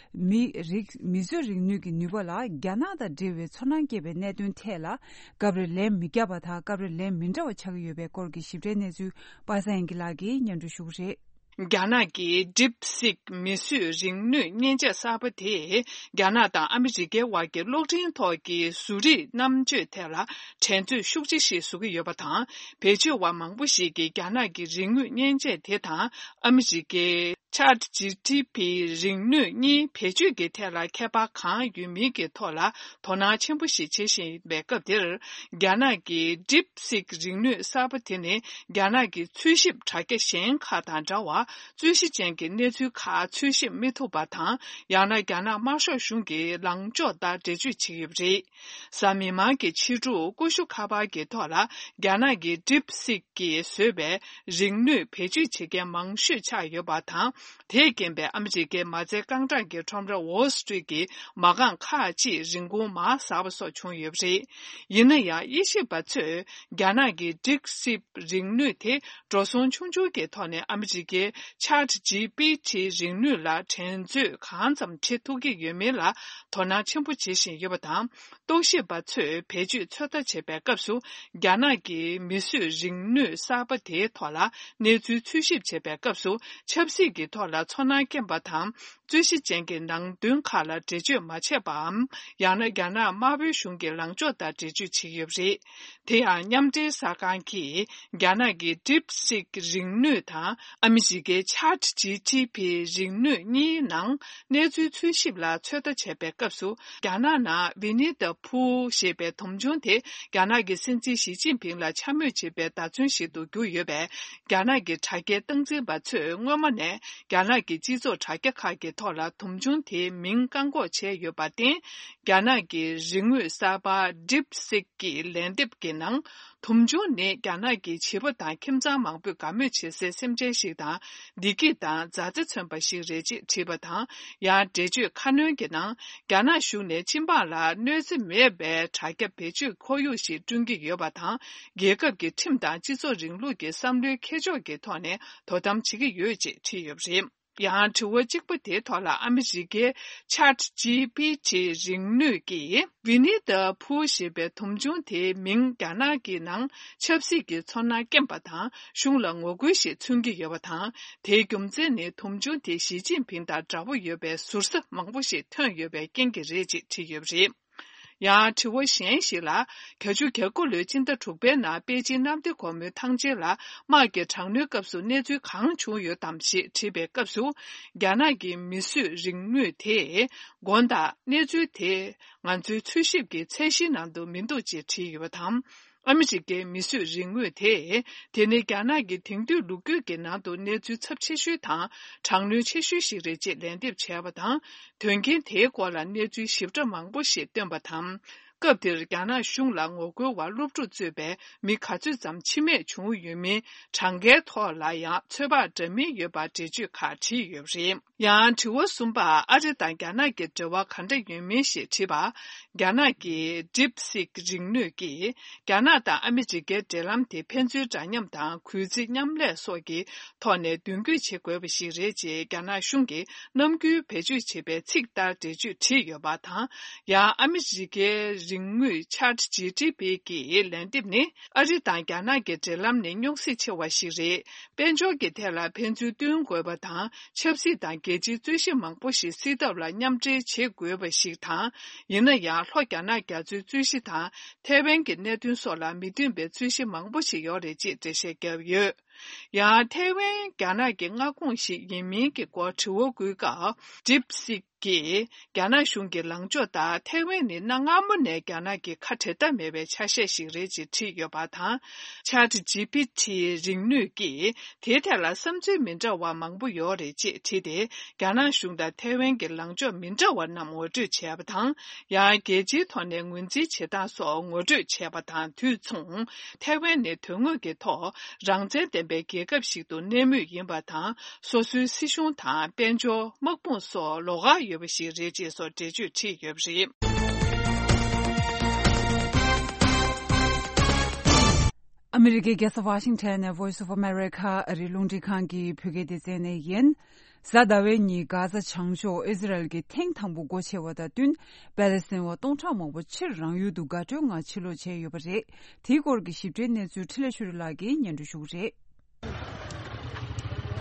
མི་རིག་མིས་བཟོས་རིག་ནུས་ཀྱི་ནུས་པ་ལ་རྒྱ་ནག་དང་འབྲེལ་བའི་ཚོར་སྣང་སྐྱེས་པའི་གནད་དོན་ཐད་ལ། སྐབས་རེ་ལན་མི་བརྒྱབ་པ་དང་། སྐབས་རེ་ལན་མི་འདྲ་བ་ཆགས་ཀྱི་ཡོད་པའི་སྐོར་གྱི་ཞིབ་ཕྲའི་གནས་ཚུལ་པ་སངས་དབྱངས་སྐྱིད་ལགས་ཀྱིས་སྙན་སྒྲོན་ཞུ་གི་རེད། རྒྱ་ནག་གི་DeepSeek མིས་བཟོས་རིག་ནུས་མཉེན་ཆས་གསར་པ་དེས་རྒྱ་ནག་དང་ཨ་མི་རི་ཀའི་དབར་གྱི་གློག་འཕྲིན་ཐོག་གི་བཟོ་རིག་རྣམ་དཔྱོད་ཐད་ལ་འགྲན་རྩོད་ཤུགས་ཆེ་ཞིག་བཟོ་གི་ཡོད་པ་དང་། བེད་སྤྱོད་པ་མང་པོ་ཞིག་གིས་རྒྱ་ནག་གི་རིག་དངོས་མཉེན་ཆས་དེ་དང་ཨ་མི་རི་ཀའི་ChatGPT རིག་ནུས་གཉིས་བེད་སྤྱོད་ཀྱི་ཐད་ལ་ཁྱད་པར་གང་ཡོད་མིན་གྱི་ཐོག་ལ་དོ་སྣང་ཆེན་པོ་ཞིག་བྱེད་བཞིན་པའི་སྐབས་དེར། རྒྱ་ནག་གི་DeepSeek རིག་ནུས་གསར་པ་དེ་ནི་རྒྱ་ནག་གི་འཚོལ་ཞིབ་དྲ་རྒྱ་གཞན་ཁག་དང་འདྲ་བར། རྩོད་གཞི་ཅན་གྱི་གནས་ཚུལ་ཁག་འཚོལ་ཞིབ་མི་ཐུབ་པ་དང་། ཡང་ན་རྒྱ་ནག་དམར་ཤོག་གཞུང་གི་ལངས་ཕྱོགས་ལྟར་འགྲེལ་བརྗོད་བྱེད་ཀྱི་ཡོད་པ་རེད། གཟའ་མིག་དམར་གྱི་ཕྱི་དྲོ་ཀུ་ཤུ་ཁ་པར་གྱི་ཐོག་ལ་རྒྱ་ནག་གི་DeepSeek གིས་བཟོས་པའི་རིག་ནུས་བེད་སྤྱོད་བྱེད་མཁན་མང་ཤོས་ཆགས་ཡོད་པ་དང་། དེས་རྐྱེན་པས་ཨ་མི་རི་ཀའི་མ་རྩའི་རྐང་གྲངས་ཀྱི་ཁྲོམ་ར་Wall Street གྱི་མ་རྐང་ཁག་ཅིག་རིན་གོང་མར་ཟག་པ་སོགས་བྱུང་ཡོད་པ་རེད། ཡིན་ན་ཡང་། དབྱེ་ཞིབ་པ་ཚོས་རྒྱ་ནག་གི་DeepSeek རིག་ནུས་དེ་འགྲོ་སོང་ཆུང་ཆུང་གི་ཐོག་ནས་ཨ་མི་རི་ཀའི་ChatGPT རིག་ནུས་ལ་འགྲན་རྩོད་གང་ཙམ་བྱེད་ཐུབ་ཀྱི་ཡོད་མེད་ལ་དོ་སྣང་ཆེན་པོ་བྱེད་བཞིན་ཡོད་པ་དང་། རྟོག་ཞིབ་པ་ཚོས་བེད་སྤྱོད་ཚོད་ལྟ་བྱེད་པའི་སྐབས་སུ། རྒྱ་ནག་གི་མིས་བཟོས་རིག་ནུས་གསར་པ་དེའི་ཐོག་ལ་གནས་ཚུལ་འཚོལ་ཞིབ་བྱེད་པའི་སྐབས་སུ། ཆབ་སྲིད་ཀྱི་ཐོག་ལ་ཚོར་སྣང་སྐྱེས་པ་དང་། རྩོད་གཞི་ཅན་གྱི་ནང་དོན་ཁག་ལ་འགྲེལ་བརྗོད་མ་བྱས་པའམ། ཡང་ན་རྒྱ་ནག་དམར་པོའི་གཞུང་གི་ལངས་ཕྱོགས་ལྟར་འགྲེལ་བརྗོད་བྱེད་ཀྱི་ཡོད་པ་རེད། དེ་ཡང་། མཉམ་འབྲེལ་གསར་ཁང་གིས་རྒྱ་ནག་གི་DeepSeek རིག་ནུས་དང་ཨ་མི་རི་ཀའི་ChatGPT རིག་ནུས་གཉིས་ནང་གནས་ཚུལ་འཚོལ་ཞིབ་ལ་ཚོད་ལྟ་བྱས་པའི་སྐབས་སུ། རྒྱ་ནག་ནང་Winnie the Pooh ཞེས་པའི་དུམ་བྱུང་དེ་རྒྱ་ནག་གི་སྲིད་འཛིན་ཞི་ཅིན་ཕིང་ལ་འཕྱ་སྨོད་བྱེད་པའི་བརྡ་མཚོན་ཞིག་ཏུ་གྱུར་ཡོད་པས། རྒྱ་ནག་གི་དྲ་རྒྱའི་སྟངས་འཛིན་པ་ཚོས་སྔོན་མ་ནས་རྒྱ་ནག་གི་སྤྱི་ཚོགས་དྲ་རྒྱ་ཁག་གི་ཐོག་ལ་དུམ་བྱུང་དེའི་མིང་བཀག་འགོག་བྱས་ཡོད་པར་བརྟེན། རྒྱ་ནག་གི་རིག་དངོས་གསར་པ་DeepSeek གི་ལན་འདེབས་ཀྱི་ནང་། དུམ་བྱུང་ནི་རྒྱ་ནག་གི་བྱིས་པ་དང་ཁྱིམ་ཚང་མང་པོས་དགའ་མོས་བྱེད་སའི་སེམས་ཅན་ཞིག་དང་། བདེ་སྐྱིད་དང་མཛའ་བརྩེ་མཚོན་པ་ཞིག་རེད་ཅེས་བྲིས་པ་དང་། ཡང་། འགྲེལ་བརྗོད་ཁ་སྣོན་གྱི་ནང་། རྒྱ་ནག་གཞུང་ནས་སྤྱི་འབངས་ལ་གནོད་འཚེ་མེད་པའི་དྲ་རྒྱ་བེད་སྤྱོད་ཁོར་ཡུག་ཞིག་བསྐྲུན་གྱི་ཡོད་པ་དང་། རྒྱལ་ཁབ་ཀྱི་ཁྲིམས་དང་སྤྱི་ཚོགས་རིང་ལུགས་ཀྱི་བསམ་བློའི་ཁྱད་ཕྱོགས་ཀྱི་ཐོག་ནས་དོ་དམ་བྱེད་ཀྱི་ཡོད་ཅེས་བྲིས་ཡོད་པ་རེད། ཡང་། དྲི་བ་གཅིག་པ་དེའི་ཐོག་ལ་ཨ་མི་རི་ཀའི་ChatGPT རིག་ནུས་ཀྱིས་Winnie the Pooh ཞེས་པའི་དུམ་བྱུང་དེའི་མིང་རྒྱ་ནག་གི་ནང་ཆབ་སྲིད་ཀྱི་ཚོར་སྣང་སྐྱེན་པ་དང་གཞུང་ལ་ངོ་རྒོལ་ཞིག་མཚོན་གྱི་ཡོད་པ་དང་། དེའི་རྒྱུ་མཚན་ནི་དུམ་བྱུང་དེ་ཞི་ཅིན་ཕིང་དང་འདྲ་པོ་ཡོད་པའི་ཟུར་ཟ་མང་པོ་ཞིག་ཐོན་ཡོད་པའི་རྐྱེན་གྱིས་རེད་ཅེས་བྲིས་ཡོད་པ་རེད། ཡང་དྲི་བ་གཞན་ཞིག་ལ། བརྒྱད་ཅུ་གྱ་དགུ་ལོའི་སྤྱི་ཟླ་དྲུག་པའི་ནང་པེ་ཅིན་གནམ་བདེ་སྒོ་མོའི་ཐང་ཆེན་ལ་དམག་གི་དྲག་གནོན་སྐབས་སུ་གནས་ཚུལ་གང་བྱུང་ཡོད་དམ་ཞེས་དྲིས་པའི་སྐབས་སུ། རྒྱ་ནག་གི་མིས་བཟོས་རིག་དངོས་དེས་དགོངས་དག་གནས་ཚུལ་དེ་ང་ཚོའི་འཚོལ་ཞིབ་ཀྱི་ཚད་གཞིའི་ནང་དུ་མི་འདུག་ཅེས་བྲིས་ཡོད་པ་དང་། ཨ་མི་རི་ཀའི་མིས་བཟོས་རིག་དངོས་དེས། དེ་ནི་རྒྱ་ནག་གི་དེང་དུས་ལོ་རྒྱུས་ཀྱི་ནང་དུ་གནས་ཚུལ་ཚབས་ཆེ་ཤོས་དང་། དྲག་གནོན་ཆེ་ཤོས་ཤིག་རེད་ཅེས་ལན་འདེབས་བྱས་པ་དང་། དོན་རྐྱེན་དེའི་སྐོར་ལ་གནས་ཚུལ་ཞིབ་ཕྲ་མང་པོ་ཞིག་བཏོན་པ་དང་། སྐབས་དེར་རྒྱ་ནག་གཞུང་ལ་ངོ་རྒོལ་བ་སློབ་ཕྲུག་གཙོས་པའི་མི་ག་ཚོད་ཙམ་འཆི་རྨས་བྱུང་ཡོད་མིན་གྲངས་ཀའི་ཐོག་ལ་ཡང་ཚོད་དཔག་འདྲ་མིན་ཡོད་པ་འགྲེལ་བརྗོད་ཁག་བྲིས་ཡོད་པ་རེད། ཡང་དྲི་བ་གསུམ་པ། ཨ་རི་དང་རྒྱ་ནག་གི་འབྲེལ་བ་ག་འདྲ་ཡོད་མིན་ཞེས་དྲིས་པ། རྒྱ་ནག་གི་DeepSeek རིག་ནུས་ཀྱིས་རྒྱ་ནག་དང་ཨ་མི་རི་ཀའི་འབྲེལ་ལམ་དེ་ཕན་ཚུན་འདྲ་མཉམ་དང་གུས་བརྩི་མཉམ་ལས་སོགས་ཀྱི་ཐོག་ནས་མདུན་སྐྱོད་བྱེད་དགོས་པ་ཞིག་རེད་ཅེས་རྒྱ་ནག་གཞུང་གིས་ནམ་རྒྱུན་བེད་སྤྱོད་བྱེད་པའི་ཚིག་ལྟར་འགྲེལ་བརྗོད་བྲིས་ཡོད་པ་དང་། ཡང་ཨ་མི་རི་ཀའི་རིག་དངོས་ChatGPT གི་ལན་འདེབས་ནི། ཨ་རི་དང་རྒྱ་ནག་གི་འབྲེལ་ལམ་ནི་རྙོག་ཟིང་ཆེ་བ་ཞིག་རེད། དཔལ་འབྱོར་གྱི་ཐད་ལ་ཕན་ཚུན་བསྟུན་དགོས་པ་དང་། ཆབ་སྲིད་དང་རྒྱལ་སྤྱིའི་རྩོད་གཞི་མང་པོ་ཞིག་སེལ་ཐབས་ལ་མཉམ་འབྲེལ་བྱེད་དགོས་པ་ཞིག་དང་། ཡིན་ན་ཡང་། ལྷོ་རྒྱ་ནག་རྒྱ་མཚོའི་རྩོད་གཞི་དང་། ཐའེ་ཝན་གྱི་གནད་དོན་སོགས་ལ་མི་མཐུན་པའི་རྩོད་གཞི་མང་པོ་ཞིག་ཡོད་རེད་ཅེས་འགྲེལ་བཤད་བརྒྱབ་ཡོད། ཡང་། ཐའེ་ཝན་རྒྱ་ནག་གི་མངའ་ཁོངས་ཤིག་ཡིན་མིན་གྱི་སྐོར་དྲི་བ་འགོད་སྐབས། DeepSeek གིས་རྒྱ་ནག་གཞུང་གི་ལངས་ཕྱོགས་ལྟར་ཐའེ་ཝན་ནི་གནའ་སྔ་མོ་ནས་རྒྱ་ནག་གི་ཁ་འབྲལ་ཐབས་མེད་པའི་ཆ་ཤས་ཤིག་རེད་ཅེས་བྲིས་ཡོད་པ་དང་། ChatGPT རིག་ནུས་ཀྱིས་དེའི་ཐད་ལ་བསམ་ཚུལ་མི་འདྲ་བ་མང་པོ་ཡོད་རེད་ཅེས་བྲིས་ཏེ། རྒྱ་ནག་གཞུང་དང་ཐའེ་ཝན་གྱི་ལངས་ཕྱོགས་མི་འདྲ་བ་རྣམས་ངོ་སྤྲོད་བྱས་པ་དང་། ཡང་། རྒྱལ་སྤྱིའི་ཐོག་ནས་ངོས་འཛིན་བྱེད་སྟངས་སོགས་ངོ་སྤྲོད་བྱས་པ་དང་དུས་མཚུངས། ཐའེ་ཝན་ནི་དོན་དངོས་ཀྱི་ཐོག་རང་བཙན་ལྡན་པའི་རྒྱལ་ཁབ་ཞིག་ཏུ་གནས་མུས་ཡིན་པ་དང་། སོ་སོའི་སྲིད་གཞུང་དང་དཔལ་འབྱོར། དམག་དཔུང་སོགས་ལོགས་ཀ་ཡོད་པ་ཞིག་རེད་ཅེས་སོགས་འགྲེལ་བརྗོད་བྲིས་ཡོད་པ་རེད། ཨ་མི་རི་ཀའི་རྒྱལ་ས་ཝ་ཤིང་ཊོན་ནས་Voice of America ཨ་རིའི་རླུང་འཕྲིན་ཁང་གི་བོད་སྐད་སྡེ་ཚན་ནས་ཡིན། གཟའ་ཟླ་བའི་ཉིན་གྷ་ཛ་བྱང་ཕྱོགས་ཨི་ཟི་རལ་གྱིས་ཐེངས་དང་པོ་སྒོ་ཕྱེ་བ་དང་བསྟུན། པེ་ལེ་སི་ཐན་བ་སྟོང་ཕྲག་མང་པོ་ཕྱིར་རང་ཡུལ་དུ་དགའ་སྤྲོའི་ངང་ཕྱིར་ལོག་བྱས་ཡོད་པ་རེད། དེའི་སྐོར་གྱི་ཞིབ་ཕྲའི་གནས་ཚུལ་འཕྲིན་ལས་ཆོས་སྒྲོན་ལགས་ཀྱིས་སྙན་སྒྲོན་ཞུ་གི་རེད།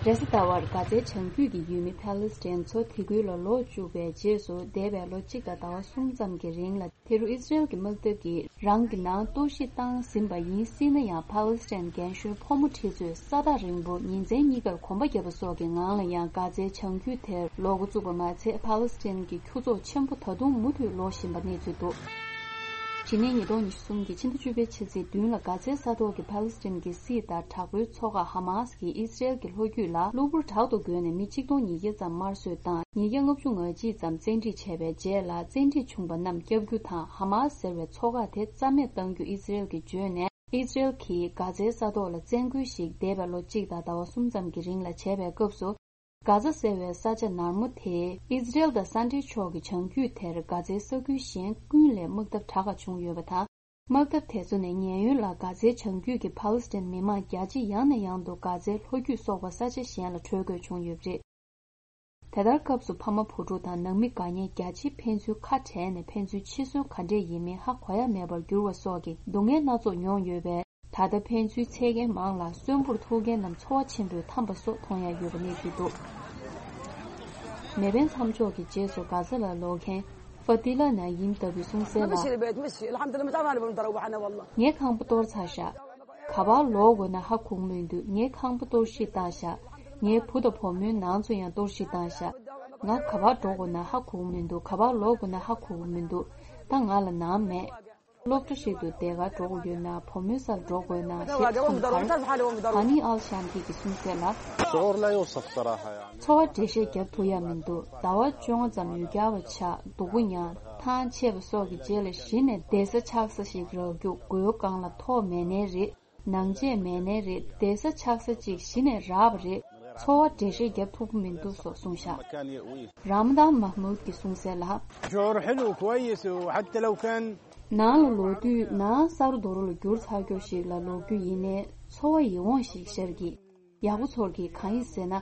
རེས་གཟའ་ཟླ་བར་གྷ་ཛའི་བྱང་རྒྱུད་ཀྱི་ཡུལ་མི་པེ་ལེ་སི་ཐན་ཚོ་དེ་ཁུལ་ལ་ལོག་བཅུག་པའི་རྗེས་སུ། འདས་པའི་ལོ་གཅིག་དང་ཟླ་བ་གསུམ་ཙམ་གྱི་རིང་ལ། དེ་རུ་ཨི་ཟི་རེལ་གྱི་དམག་འཐབ་ཀྱིས་རང་གི་ནང་གཏོར་བཤིག་བཏང་ཟིན་པ་ཡིན་སྲིད་ན་ཡང་། པེ་ལེ་སི་ཐན་རྒན་གཞོན་ཕོ་མོ་ཁྲི་ཚོས་ས་ཐག་རིང་པོ་ཉིན་མཚན་གཉིས་ཀར་གོམ་པ་བརྒྱབ་པ་སོགས་ཀྱི་ངང་ལ་ཡང་གྷ་ཛའི་བྱང་རྒྱུད་དེར་ལོག་འགོ་བཙུགས་པ་མ་ཚད། པེ་ལེ་སི་ཐན་གྱི་ཁྱུ་ཚོགས་ཆེན་པོ་ད་དུང་མུ་མཐུད་ལོག་བཞིན་པ་གནས་ཚུལ་འདུག་ཕྱི་ཉིན་ཉིས་སྟོང་ཉི་ཤུ་གསུམ་གྱི་ཕྱི་ཟླ་བཅུ་པའི་ཕྱི་ཚེས་བདུན་ལ་གྷ་ཛའི་ས་ཐོག་གི་པེ་ལེ་སི་ཐན་གྱི་སྲིད་དང་དྲག་པོའི་ཚོགས་ཁག་ཧ་མ་སི་ཀྱིས་ཨི་ཟི་རེལ་གྱི་ལྷོ་རྒྱུད་ལ་གློ་བུར་དྲག་ཏུ་རྒོལ་ནས་མི་གཅིག་སྟོང་ཉིས་བརྒྱ་ཙམ་དམར་གསོད་དང་། ཉིས་བརྒྱ་ལྔ་བཅུ་ང་གཅིག་ཙམ་བཙན་ཁྲིད་བྱས་པའི་རྗེས་ལ། བཙན་ཁྲིད་བྱུང་པ་རྣམས་བསྐྱབ་རྒྱུ་དང་། ཧ་མ་སི་ཟེར་བའི་ཚོགས་ཁག་དེ་རྩ་མེད་གཏང་རྒྱུ་ཨི་ཟི་རེལ་གྱིས་བརྗོད་ནས། ཨི་ཟི་རེལ་གྱིས་གྷ་ཛའི་ས་ཐོག་ལ་བཙན་རྒོལ་ཞིག་འདས་པའི་ལོ་གཅིག་དང་ཟླ་བ་གསུམ་ཙམ་གྱི་རིང་ལ་བྱས་པའི་སྐབས་སུ། གྷ་ཛ་ཟེར་བའི་ས་ཆ་ནར་མོ་དེ་ཨི་ཟི་རེལ་དང་ས་འབྲེལ་ཕྱོགས་ཀྱི་བྱང་རྒྱུད་དེར་གྷ་ཛའི་ས་ཁུལ་གཞན་ཀུན་ལས་དམག་འཐབ་དྲག་ཁ་བྱུང་ཡོད་པ་དང་། དམག་འཐབ་དེ་ཚོ་ནས་ཉེན་གཡོལ་ལ་གྷ་ཛའི་བྱང་རྒྱུད་ཀྱི་པ་ལི་སི་ཐན་མི་མང་རྒྱ་ཆེ་ཡང་ནས་ཡང་དུ་གྷ་ཛའི་ལྷོ་རྒྱུད་སོགས་པ་ས་ཆ་གཞན་ལ་བྲོས་དགོས་བྱུང་ཡོད་པ་རེད། དེ་ལྟར་སྐབས་སུ་ཕ་མ་བུ་ཕྲུག་དང་ནང་མི་དགའ་ཉེ་རྒྱ་ཆེ་ཕན་ཚུན་ཁ་བྲལ་ནས། ཕན་ཚུན་འཆི་གསོན་ག་འདྲས་ཡིན་མིན་ཧ་གོ་ཡ་མེད་པར་གྱུར་བ་སོགས་ཀྱི་སྡུག་བསྔལ་སྣ་ཚོགས་མྱོང་ཡོད་པས། ད་ལྟ་ཕན་ཚུན་འཚོལ་མཁན་མང་ལ། གསོན་པོར་ཐུག་མཁན་རྣམས་འཚོ་བ་ཆེན་པོས་འཐམས་པ་སོགས་མཐོང་ཡ་ཡོད་པ་གནས་ཚུལ་འདུག་མེ་འཕེན་མཚམས་འཇོག་གི་རྗེས་སུ་གྷ་ཛ་ལ་ལོག་མཁན་ཧྥ་ཏི་ལ་ན་ཡིམ་ལྟ་བུས་གསུངས་གསལ་ལ། ངས་ཁང་པ་གཏོར་ཚར་ཤག་ག་པར་ལོག་དགོས་ན་ཧ་གོ་གི་མི་འདུག་ངས་ཁང་པ་གཏོར་བཤིག་བཏང་ཤག་ངའི་བུ་དང་བུ་མོའི་ནང་ཚོ་ཡང་གཏོར་བཤིག་བཏང་ཤག་ང་ག་པར་འགྲོ་དགོས་ན་ཧ་གོ་གི་མི་འདུག་ག་པར་ལོག་དགོས་ན་ཧ་གོ་གི་མི་འདུག་ད་ང་ལ་ནང་མེད། སློབ་གྲྭ་ཞིག་ཏུ་དེ་གར་འགྲོ་དགོས་ཡོད་ན། བུ་མོའི་སར་འགྲོ་དགོས་ན་ཞེས་གསུངས་ཁར། ཧ་ནི་ཨལ་ཤམ་གྱིས་གསུངས་གསལ་ལ། ཚོར་བ་འགྲེལ་བཤད་རྒྱབ་ཐུབ་ཡ་མི་འདུག་ཟླ་བ་བཅོ་ལྔ་ཙམ་ཡུལ་གྱར་བ་ཆགས། སྡུག་པོ་མྱངས། ཐང་ཆད་པ་སོགས་ཀྱི་རྗེས་ལ་གཞི་ནས་བསྡད་ས་ཆགས་ས་ཞིག་རག་རྒྱུ། སྒོའི་སྒང་ལ་ཐོག་མེད་ནའི་རེད། ནང་ཆས་མེད་ནའི་རེད། བསྡད་ས་ཆགས་ས་གཅིག་གཞི་ནས་རག་པ་རེད། ཚོར་བ་འགྲེལ་བཤད་རྒྱབ་ཐུབ་ཀྱི་མི་འདུག་སོགས་གསུངས་ཤག་ར་མ་དཱན་མཱ་མུད་ཀྱིས་གསུངས་གསལ་ལ། ནང་ལ་ལོག་དུས་ནང་ས་རུ་རྡོ་རུ་ལ་གྱུར་ཚར་རྒྱུ་ཞིག་ལ་ལོག་རྒྱུ་ཡིན་ནའི་ཚོར་བ་ཡིད་འོང་ཞིག་ཤར་གྱི། ཡག་པོ་ཚོར་གྱི། གང་ཡིན་ཟེར་ན།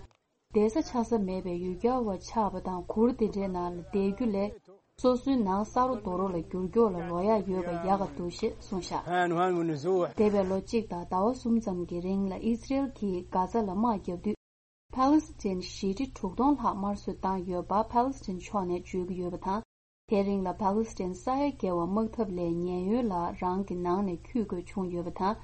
བསྡད་ས་ཆགས་ས་མེད་པའི་ཡུལ་གྱར་བ་ཆགས་པ་དང་། གུར་དེ་འདྲའི་ནང་ལ་བསྡད་རྒྱུ་ལས། སོ་སོའི་ནང་ས་རུ་རྡོ་རུ་ལ་འགྱུར་སྐྱོག་ལ་ལོག་ཡག་ཡོད་པ་ཡག་ག་འདུག་ཞེས་གསུངས་ཤག་འདས་པའི་ལོ་གཅིག་དང་ཟླ་བ་གསུམ་ཙམ་གྱི་རིང་ལ་ཨི་ཛི་རེལ་གྱིས་གྷ་ཛ་ལ་དམག་བརྒྱབ་དུས། ཕཱ་ལི་སི་ཐན་ཞི་ཁྲི་དྲུག་སྟོང་ལྷག་དམར་གསོད་བཏང་ཡོད་པ་ཕཱ་ལི་སི་ཐན་ཕྱོགས་ནས་བརྗོད་ཀྱི་ཡོད་པ་དང་། དེ་རིང་ལ་ཕཱ་ལི་སི་ཐན་ས་ཡ་བརྒལ་བ་དམག་འཐབ་ལས་ཉེན་གཡོལ་ལ་རང་གི་ནང་ནས་འཁྱུད་དགོས་བྱུང་ཡོད་པ་དང་།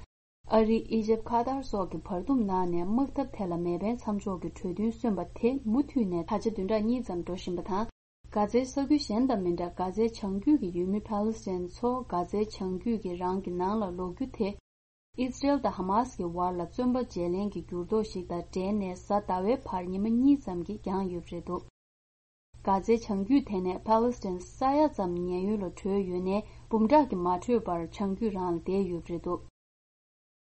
ཨ་རི། ཨི་ཇེབ། ཁ་ཏར་སོགས་ཀྱིས་བར་འདུམ་གནང་ནས་དམག་འཐབ་དེ་ལ་མེ་འཕེན་མཚམས་འཇོག་གི་གྲོས་མཐུན་སོན་པ་དེ་མུ་མཐུད་ནས་ད་ཆ་བདུན་ཕྲག་གཉིས་ཙམ་འགྲོ་བཞིན་པ་དང་། གྷ་ཛའི་ས་ཁུལ་གཞན་དང་མི་འདྲ། གྷ་ཛའི་བྱང་རྒྱུད་ཀྱི་ཡུལ་མི་ཕཱ་ལི་སི་ཐན་ཚོ་གྷ་ཛའི་བྱང་རྒྱུད་ཀྱི་རང་གི་ནང་ལ་ལོག་རྒྱུ་དེ། ཨི་ཛི་རེལ་དང་ཧ་མཱ་སི་ཀྱི་བར་ལ་བཙོན་པ་བརྗེ་ལེན་གྱི་འགྱུར་ལྡོག་ཞིག་དང་འབྲེལ་ནས་གཟའ་ཟླ་བའི་བར་ཉི་མ་གཉིས་ཙམ་གྱིས་འགྱངས་ཡོད་པ་རེད་འདུག་གྷ་ཛའི་བྱང་རྒྱུད་དེ་ནས་ཕཱ་ལི་སི་ཐན་ས་ཡ་ཙམ་ཉེན་གཡོལ་ལ་བྲོས་ཡོད་ནའི། འབུམ་ཕྲག་གིས་མ་བྲོས་པར་བྱང་རྒྱུད་རང་ལ་བསྡད་ཡོད་པ་རེད་འདུག་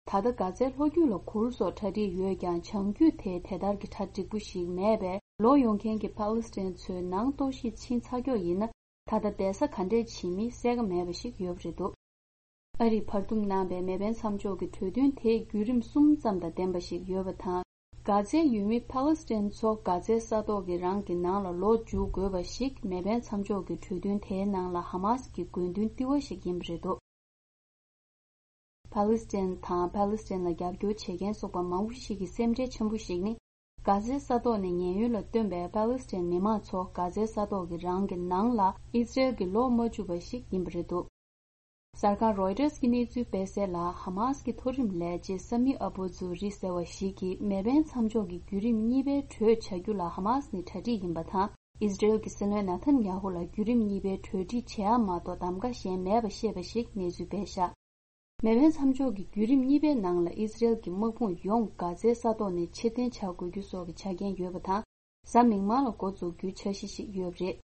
ད་ལྟ་གྷ་ཛའི་ལྷོ་རྒྱུད་ལ་གུར་སོགས་གྲ་སྒྲིག་ཡོད་ཀྱང་། བྱང་རྒྱུད་དེ་དེ་ལྟར་གྱི་གྲ་འགྲིག་པོ་ཞིག་མེད་པས། ལོག་ཡོང་མཁན་གྱི་ཕཱ་ལི་སི་ཐན་ཚོས་ནང་གཏོར་བཤིག་ཕྱིན་ཚར་ཀྱོག་ཡིན་ན། ད་ལྟ་བསྡད་ས་ག་འདྲས་བྱེད་མིན་གསལ་ཁ་མེད་པ་ཞིག་ཡོད་པ་རེད་འདུག་ཨ་རིས་བར་འདུམ་གནང་པའི་མེ་འཕེན་མཚམས་འཇོག་གི་གྲོས་མཐུན་དེ་བརྒྱུད་རིམ་གསུམ་ཙམ་དང་ལྡན་པ་ཞིག་ཡོད་པ་དང་། གྷ་ཛའི་ཡུལ་མི་ཕཱ་ལི་སི་ཐན་ཚོ་གྷ་ཛའི་ས་ཐོག་གི་རང་གི་ནང་ལ་ལོག་འཇུག་དགོས་པ་ཞིག་མེ་འཕེན་མཚམས་འཇོག་གི་གྲོས་མཐུན་དེའི་ནང་ལ་ཧ་མཱ་སི་ཀྱི་དགོས་འདུན་ལྟེ་བ་ཞིག་ཡིན་པ་རེད་འདུག་ཕཱ་ལི་སི་ཐན་དང་ཕཱ་ལི་སི་ཐན་ལ་རྒྱབ་སྐྱོར་བྱེད་མཁན་སོགས་པ་མང་པོ་ཞིག་གི་སེམས་ཁྲལ་ཆེན་པོ་ཞིག་ནི། གྷ་ཛའི་ས་ཐོག་ནས་ཉེན་གཡོལ་ལ་བཏོན་པའི་ཕཱ་ལི་སི་ཐན་མི་མང་ཚོ་གྷ་ཛའི་ས་ཐོག་གི་རང་གི་ནང་ལ་ཨི་ཛི་རེལ་གྱིས་ལོག་མ་བཅུག་པ་ཞིག་ཡིན་པ་རེད་འདུག་གསར་ཁང་རོའི་ཊར་སི་གྱི་གནས་ཚུལ་སྤེལ་གསལ་ལ། ཧ་མཱ་སི་ཀྱི་མཐོ་རིམ་ལས་བྱེད་ས་མི་ཨ་བུ་ཛུ་རི་ཟེར་བ་ཞིག་གིས་མེ་འཕེན་མཚམས་འཇོག་གི་བརྒྱུད་རིམ་གཉིས་པའི་གྲོས་བྱ་རྒྱུ་ལ་ཧ་མཱ་སི་ནི་གྲ་སྒྲིག་ཡིན་པ་དང་། ཨི་ཛི་རེལ་གྱི་སྲིད་བློན་ནཱ་ཐན་ཡ་ཧུ་ལ་བརྒྱུད་རིམ་གཉིས་པའི་གྲོས་འགྲིག་བྱེད་ཡ་མ་གཏོགས་གདམ་ག་གཞན་མེད་པ་བཤད་པ་ཞིག་གནས་ཚུལ་སྤེལ་བཞག་མེ་འཕེན་མཚམས་འཇོག་གི་བརྒྱུད་རིམ་གཉིས་པའི་ནང་ལ་ཨི་ཛི་རེལ་གྱི་དམག་དཔུང་ཡོངས་གྷ་ཛའི་ས་ཐོག་ནས་ཕྱིར་འཐེན་བྱ་དགོས་རྒྱུ་སོགས་ཀྱི་ཆ་རྐྱེན་ཡོད་པ་དང་། གཟའ་མིག་དམར་ལ་འགོ་འཛུགས་རྒྱུའི་འཆར་གཞི་ཞིག་ཡོད་པ་རེད།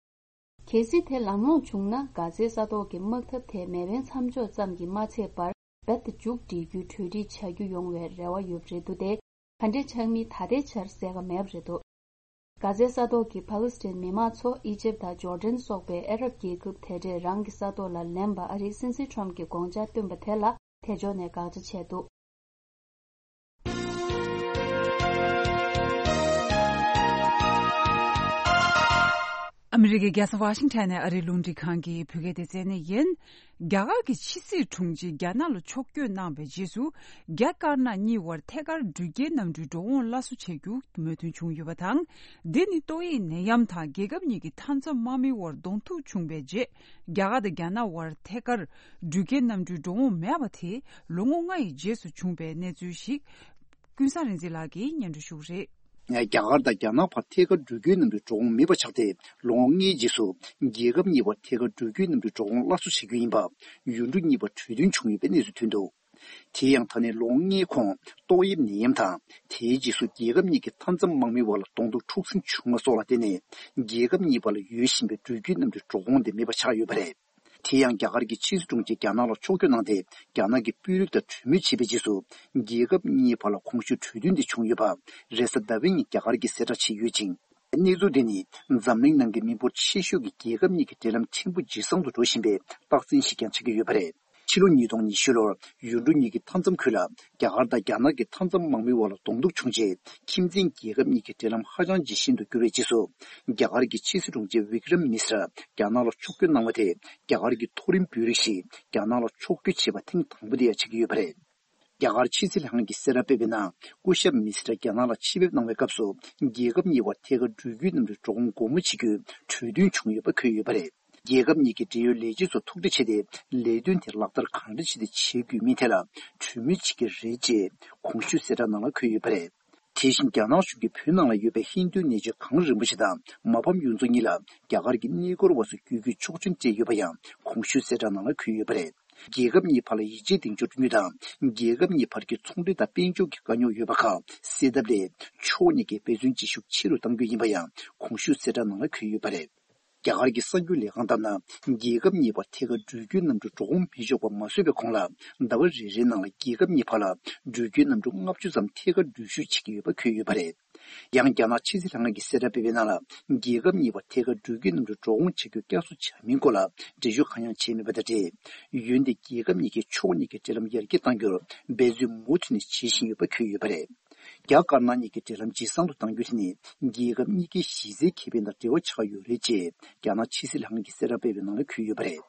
གལ་སྲིད་དེ་ལམ་ལྷོང་བྱུང་ན། གྷ་ཛའི་ས་ཐོག་གི་དམག་འཐབ་དེ་མེ་འཕེན་མཚམས་འཇོག་ཙམ་གྱིས་མ་ཚད་པར། རྦད་དེ་མཇུག་སྒྲིལ་རྒྱུའི་གྲོས་འགྲིག་བྱ་རྒྱུ་ཡོང་བའི་རེ་བ་ཡོད་པ་རེད་འདུག་སྟེ། ག་འདྲས་ཆགས་མིན་ད་ལྟའི་ཆར་གསལ་ཁ་མེད་པ་རེད་འདུག་གྷ་ཛའི་ས་ཐོག་གི་ཕཱ་ལི་སི་ཐན་མི་མང་ཚོ་ཨི་ཇེབ་དང་ཇོར་ཌན་སོགས་པའི་ཨ་རབ་རྒྱལ་ཁབ་དེ་འདྲས་རང་གི་ས་ཐོག་ལ་ལེན་པ་ཨ་རིའི་སྲིད་འཛིན་ཁྲོམ་གྱིས་དགོངས་འཆར་བཏོན་པ་དེ་ལ་དེ་ཕྱོགས་ནས་དགག་བྱ་བྱས་འདུག་ཨ་མི་རི་ཀའི་རྒྱལ་ས་ཝ་ཤིང་ཊོན་ནས་ཨ་རིའི་རླུང་འཕྲིན་ཁང་གི་བོད་སྐད་སྡེ་ཚན་ནས་ཡིན། རྒྱ་གར་གྱི་ཕྱི་སྲིད་དྲུང་ཆེས་རྒྱ་ནག་ལ་ཕྱོགས་བསྐྱོད་གནང་བའི་རྗེས་སུ། རྒྱ་དཀར་ནག་གཉིས་བར་ཐད་ཀར་འགྲུལ་སྐྱེལ་གནམ་གྲུའི་འགྲོ་འོང་སླར་གསོ་བྱ་རྒྱུ་མོས་མཐུན་བྱུང་ཡོད་པ་དང་། འདི་ནི་ཏོག་དབྱིབས་ནད་ཡམས་དང་རྒྱལ་ཁབ་གཉིས་ཀྱི་མཐའ་མཚམས་དམག་མིའི་བར་གདོང་ཐུག་བྱུང་བའི་རྗེས། རྒྱ་གར་དང་རྒྱ་ནག་བར་ཐད་ཀར་འགྲུལ་སྐྱེལ་གནམ་གྲུའི་འགྲོ་འོང་མེད་པ་དེ་ལོ་ངོ་ལྔ་ཡི་རྗེས་སུ་བྱུང་བའི་གནས་ཚུལ་ཞིག་ཀུན་བཟང་རིག་འཛིན་ལགས་ཀྱིས་སྙན་སྒྲོན་ཞུ་གི་རེད། རྒྱ་གར་དང་རྒྱ་ནག་བར་ཐད་ཀར་འགྲུལ་སྐྱོད་གནམ་གྲུའི་འགྲོ་འོང་མེད་པ་ཆགས་ཏེ་ལོ་ངོ་ལྔའི་རྗེས་སུ། རྒྱལ་ཁབ་གཉིས་བར་ཐད་ཀར་འགྲུལ་སྐྱོད་གནམ་གྲུའི་འགྲོ་འོང་སླར་གསོ་བྱེད་རྒྱུ་ཡིན་པ། ཡུལ་གྲུ་གཉིས་བར་གྲོས་མཐུན་བྱུང་ཡོད་པའི་གནས་ཚུལ་ཐོན་འདུག་དེ་ཡང་ད་ནས་ལོ་ངོ་ལྔའི་གོང་ཏོག་དབྱིབས་ནད་ཡམས་དང་། དེའི་རྗེས་སུ་རྒྱལ་ཁབ་གཉིས་ཀྱི་མཐའ་མཚམས་དམག་མིའི་བར་ལ་གདོང་ཐུག་འཁྲུག་ཟིང་བྱུང་བ་སོགས་ལ་བརྟེན་ནས། རྒྱལ་ཁབ་གཉིས་བར་ལ་ཡོད་བཞིན་པའི་འགྲུལ་སྐྱོད་གནམ་གྲུའི་འགྲོ་འོང་དེ་མེད་པ་ཆགས་ཡོད་པ་རེད། དེ་ཡང་རྒྱ་གར་གྱི་ཕྱི་སྲིད་དྲུང་ཆེས་རྒྱ་ནག་ལ་ཕྱོགས་བསྐྱོད་གནང་སྟེ། རྒྱ་ནག་གི་དཔོན་རིགས་དང་གྲོས་མོལ་བྱས་པའི་རྗེས་སུ། རྒྱལ་ཁབ་གཉིས་བར་ལ་གོང་ཞུས་གྲོས་མཐུན་དེ་བྱུང་ཡོད་པ། རེས་གཟའ་ཟླ་བའི་ཉིན་རྒྱ་གར་གྱིས་གསལ་བསྒྲགས་བྱས་ཡོད་ཅིང་། གནས་ཚུལ་དེ་ནི་འཛམ་གླིང་ནང་གི་མི་འབོར་ཆེ་ཤོས་ཀྱི་རྒྱལ་ཁབ་གཉིས་ཀྱི་འབྲེལ་ལམ་ཕྲན་བུ་ཇེ་བཟང་དུ་འགྲོ་བཞིན་པའི་རྟགས་མཚན་ཞིག་ཀྱང་ཆགས་ཀྱི་ཡོད་པ་རེད། ཕྱི་ལོ་ཉིས་སྟོང་ཉི་ཤུ་ལོར་ཡུལ་གྲུ་གཉིས་ཀྱི་མཐའ་མཚམས་ཁུལ་ལ་རྒྱ་གར་དང་རྒྱ་ནག་གི་མཐའ་མཚམས་དམག་མིའི་བར་ལ་གདོང་ཐུག་བྱུང་རྗེས། ཁྱིམ་མཚེས་རྒྱལ་ཁབ་གཉིས་ཀྱི་འབྲེལ་ལམ་ཧ་ཅང་ཇེ་ཞན་དུ་གྱུར་བའི་རྗེས་སུ། རྒྱ་གར་གྱི་ཕྱི་སྲིད་དྲུང་ཆེ་བི་ཀྲམ་མིས་ར་རྒྱ་ནག་ལ་ཕྱོགས་བསྐྱོད་གནང་བ་དེ། རྒྱ་གར་གྱི་མཐོ་རིམ་དཔོན་རིགས་ཤིག་རྒྱ་ནག་ལ་ཕྱོགས་བསྐྱོད་བྱས་པ་ཐེངས་དང་པོ་དེ་ཡང་ཆགས་ཀྱི་ཡོད་པ་རེད། རྒྱ་གར་ཕྱི་སྲིད་ལྷན་ཁང་གིས་གསལ་བསྒྲགས་སྤེལ་བའི་ནང་། སྐུ་ཞབས་མིས་ར་རྒྱ་ནག་ལ་ཆེད་ཕེབས་གནང་བའི་སྐབས་སུ། རྒྱལ་ཁབ་གཉིས་བར་ཐད་ཀར་འགྲུལ་སྐྱོད་གནམ་གྲུའི་འགྲོ་འོང་སྒོ་མོ་ཕྱེ་རྒྱུའི་གྲོས་མཐུན་བྱུང་ཡོད་པ་འཁོད་ཡོད་པ་རེད། རྒྱལ་ཁབ་གཉིས་ཀྱི་འབྲེལ་ཡོད་ལས་བྱེད་ཚོ་ཐུག་འཕྲད་བྱས་ཏེ། ལས་དོན་དེ་ལག་བསྟར་གང་འདྲ་བྱས་ཏེ་བྱེད་དགོས་མིན་ཐད་ལ་གྲོས་མོལ་བྱེད་ཀྱི་རེད་ཅེས་གོང་ཞུས་གསལ་བསྒྲགས་ནང་ལ་འཁོད་ཡོད་པ་རེད། དེ་བཞིན་རྒྱ་ནག་གཞུང་གིས་བོད་ནང་ལ་ཡོད་པའི་ཧིན་རྡུ་གནས་མཆོག་གངས་རིན་པོ་ཆེ་དང་མ་ཕམ་གཡུ་མཚོ་གཉིས་ལ་རྒྱ་གར་གྱི་གནས་སྐོར་བ་ཚོ་བསྐྱོད་རྒྱུའི་ཆོག་མཆན་སྤྲད་ཡོད་པ་ཡང་གོང་ཞུས་གསལ་བསྒྲགས་ནང་ལ་འཁོད་ཡོད་པ་རེད། རྒྱལ་ཁབ་གཉིས་བར་ལ་ཡིད་ཆེས་གདེང་འཇོག་བསྐྲུན་རྒྱུ་དང་། རྒྱལ་ཁབ་གཉིས་བར་གྱི་ཚོང་འབྲེལ་དང་དཔལ་འབྱོར་གྱི་དཀའ་རྙོག་ཡོད་པ་ཁག་སེལ་ཐབས་སླད། ཕྱོགས་གཉིས་ཀས་འབད་བརྩོན་བྱེད་ཤུགས་ཆེ་རུ་གཏང་རྒྱུ་ཡིན་པ་ཡང་གོང་ཞུས་གསལ་བསྒྲགས་ནང་ལ་འཁོད་ཡོད་པ་རེད། རྒྱ་གར་གྱི་གསར་འགྱུར་ལས་ཁང་ལྟར་ན། རྒྱལ་ཁབ་གཉིས་བར་ཐད་ཀར་འགྲུལ་སྐྱོད་གནམ་གྲུ་འགྲོ་འོང་མི་ཆོག་པ་མ་བཟོས་པའི་གོང་ལ། ཟླ་བ་རེ་རེའི་ནང་ལ་རྒྱལ་ཁབ་གཉིས་བར་ལ་འགྲུལ་སྐྱོད་གནམ་གྲུ་ལྔ་བཅུ་ཙམ་ཐད་ཀར་འགྲུལ་བཞུད་བྱེད་ཀྱི་ཡོད་པ་འཁོད་ཡོད་པ་རེད། ཡང་རྒྱ་ནག་ཕྱི་སྲིད་ལྷན་ཁང་གིས་གསལ་བསྒྲགས་སྤེལ་བའི་ནང་ལ། རྒྱལ་ཁབ་གཉིས་བར་ཐད་ཀར་འགྲུལ་སྐྱོད་གནམ་གྲུ་འགྲོ་འོང་བྱ་རྒྱུ་བསྐྱར་གསོ་བྱ་མིན་སྐོར་ལ་འགྲེལ་བརྗོད་གང་ཡང་བྱས་མེད་པ་དང་འབྲེལ། འོན་ཏེ་རྒྱལ་ཁབ་གཉིས་ཀས་ཕྱོགས་གཉིས་ཀྱི་འབྲེལ་ལམ་ཡར་རྒྱས་གཏང་རྒྱུར་འབད་བརྩོན་མུ་མཐུད་ནས་བྱེད་བཞིན་ཡོད་པ་འཁོད་ཡོད་པ་རེད། རྒྱ་དཀར་ནག་གཉིས་ཀྱི་འབྲེལ་ལམ་ཇེ་བཟང་དུ་གཏང་རྒྱུ་དེ་ནི་རྒྱལ་ཁབ་གཉིས་ཀའི་གཞི་རྩའི་ཁེ་ཕན་དང་འབྲེལ་བ་ཆགས་ཡོད་རེད་ཅེས་རྒྱ་ནག་ཕྱི་སྲིད་ལྷན་ཁང་གིས་གསལ་བསྒྲགས་སྤེལ་བའི་ནང་ལ་འཁོད་ཡོད་པ་རེད།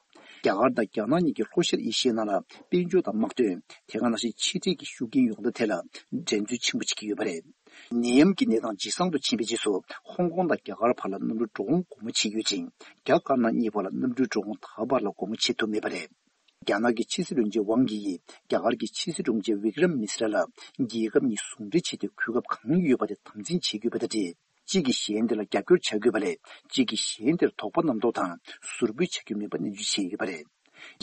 རྒྱ་གར་དང་རྒྱ་ནག་གཉིས་ཀྱིས་ལྷོ་ཤར་ཨེ་ཤི་ཡའི་ནང་ལ་དཔལ་འབྱོར་དང་དམག་དོན། དེ་ག་ནང་བཞིན་ཕྱི་འབྲེལ་གྱི་ཤུགས་རྐྱེན་ཡོང་ཐབས་ཐད་ལ་འགྲན་རྩོད་ཆེན་པོ་བྱེད་ཀྱི་ཡོད་པ་རེད། ནད་ཡམས་ཀྱི་གནས་སྟངས་ཇེ་བཟང་དུ་ཕྱིན་པའི་རྗེས་སུ་ཧོང་ཀོང་དང་རྒྱ་གར་བར་ལ་གནམ་གྲུ་འགྲོ་འོང་སྒོ་མོ་ཕྱེ་ཡོད་ཅིང་། རྒྱ་དཀར་ནག་གཉིས་བར་ལ་གནམ་གྲུའི་འགྲོ་འོང་ད་བར་ལ་སྒོ་མོ་ཕྱེ་ཐུབ་མེད་པ་རེད། རྒྱ་ནག་གི་ཕྱི་སྲིད་བློན་ཆེན་ཝང་དབྱི་ཡིས་རྒྱ་གར་གྱི་ཕྱི་སྲིད་དྲུང་ཆེ་བི་ཀྲམ་མིས་ར་ལ་རྒྱལ་ཁབ་གཉིས་ཟུང་འབྲེལ་བྱས་ཏེ་གོ་སྐབས་གང་ཡོད་པ་དེ་དམ་འཛིན་བྱེད་དགོས་པ་དང་འབྲེལ། གཅིག་གིས་གཞན་དེ་ལ་རྒྱབ་སྐྱོར་བྱ་དགོས་པ་ལས་གཅིག་གིས་གཞན་དེར་དོགས་པ་རྣམ་རྟོག་དང་ཟུར་ཕུད་བྱ་རྒྱུ་མིན་པ་ནན་བརྗོད་བྱས་ཡོད་པ་རེད།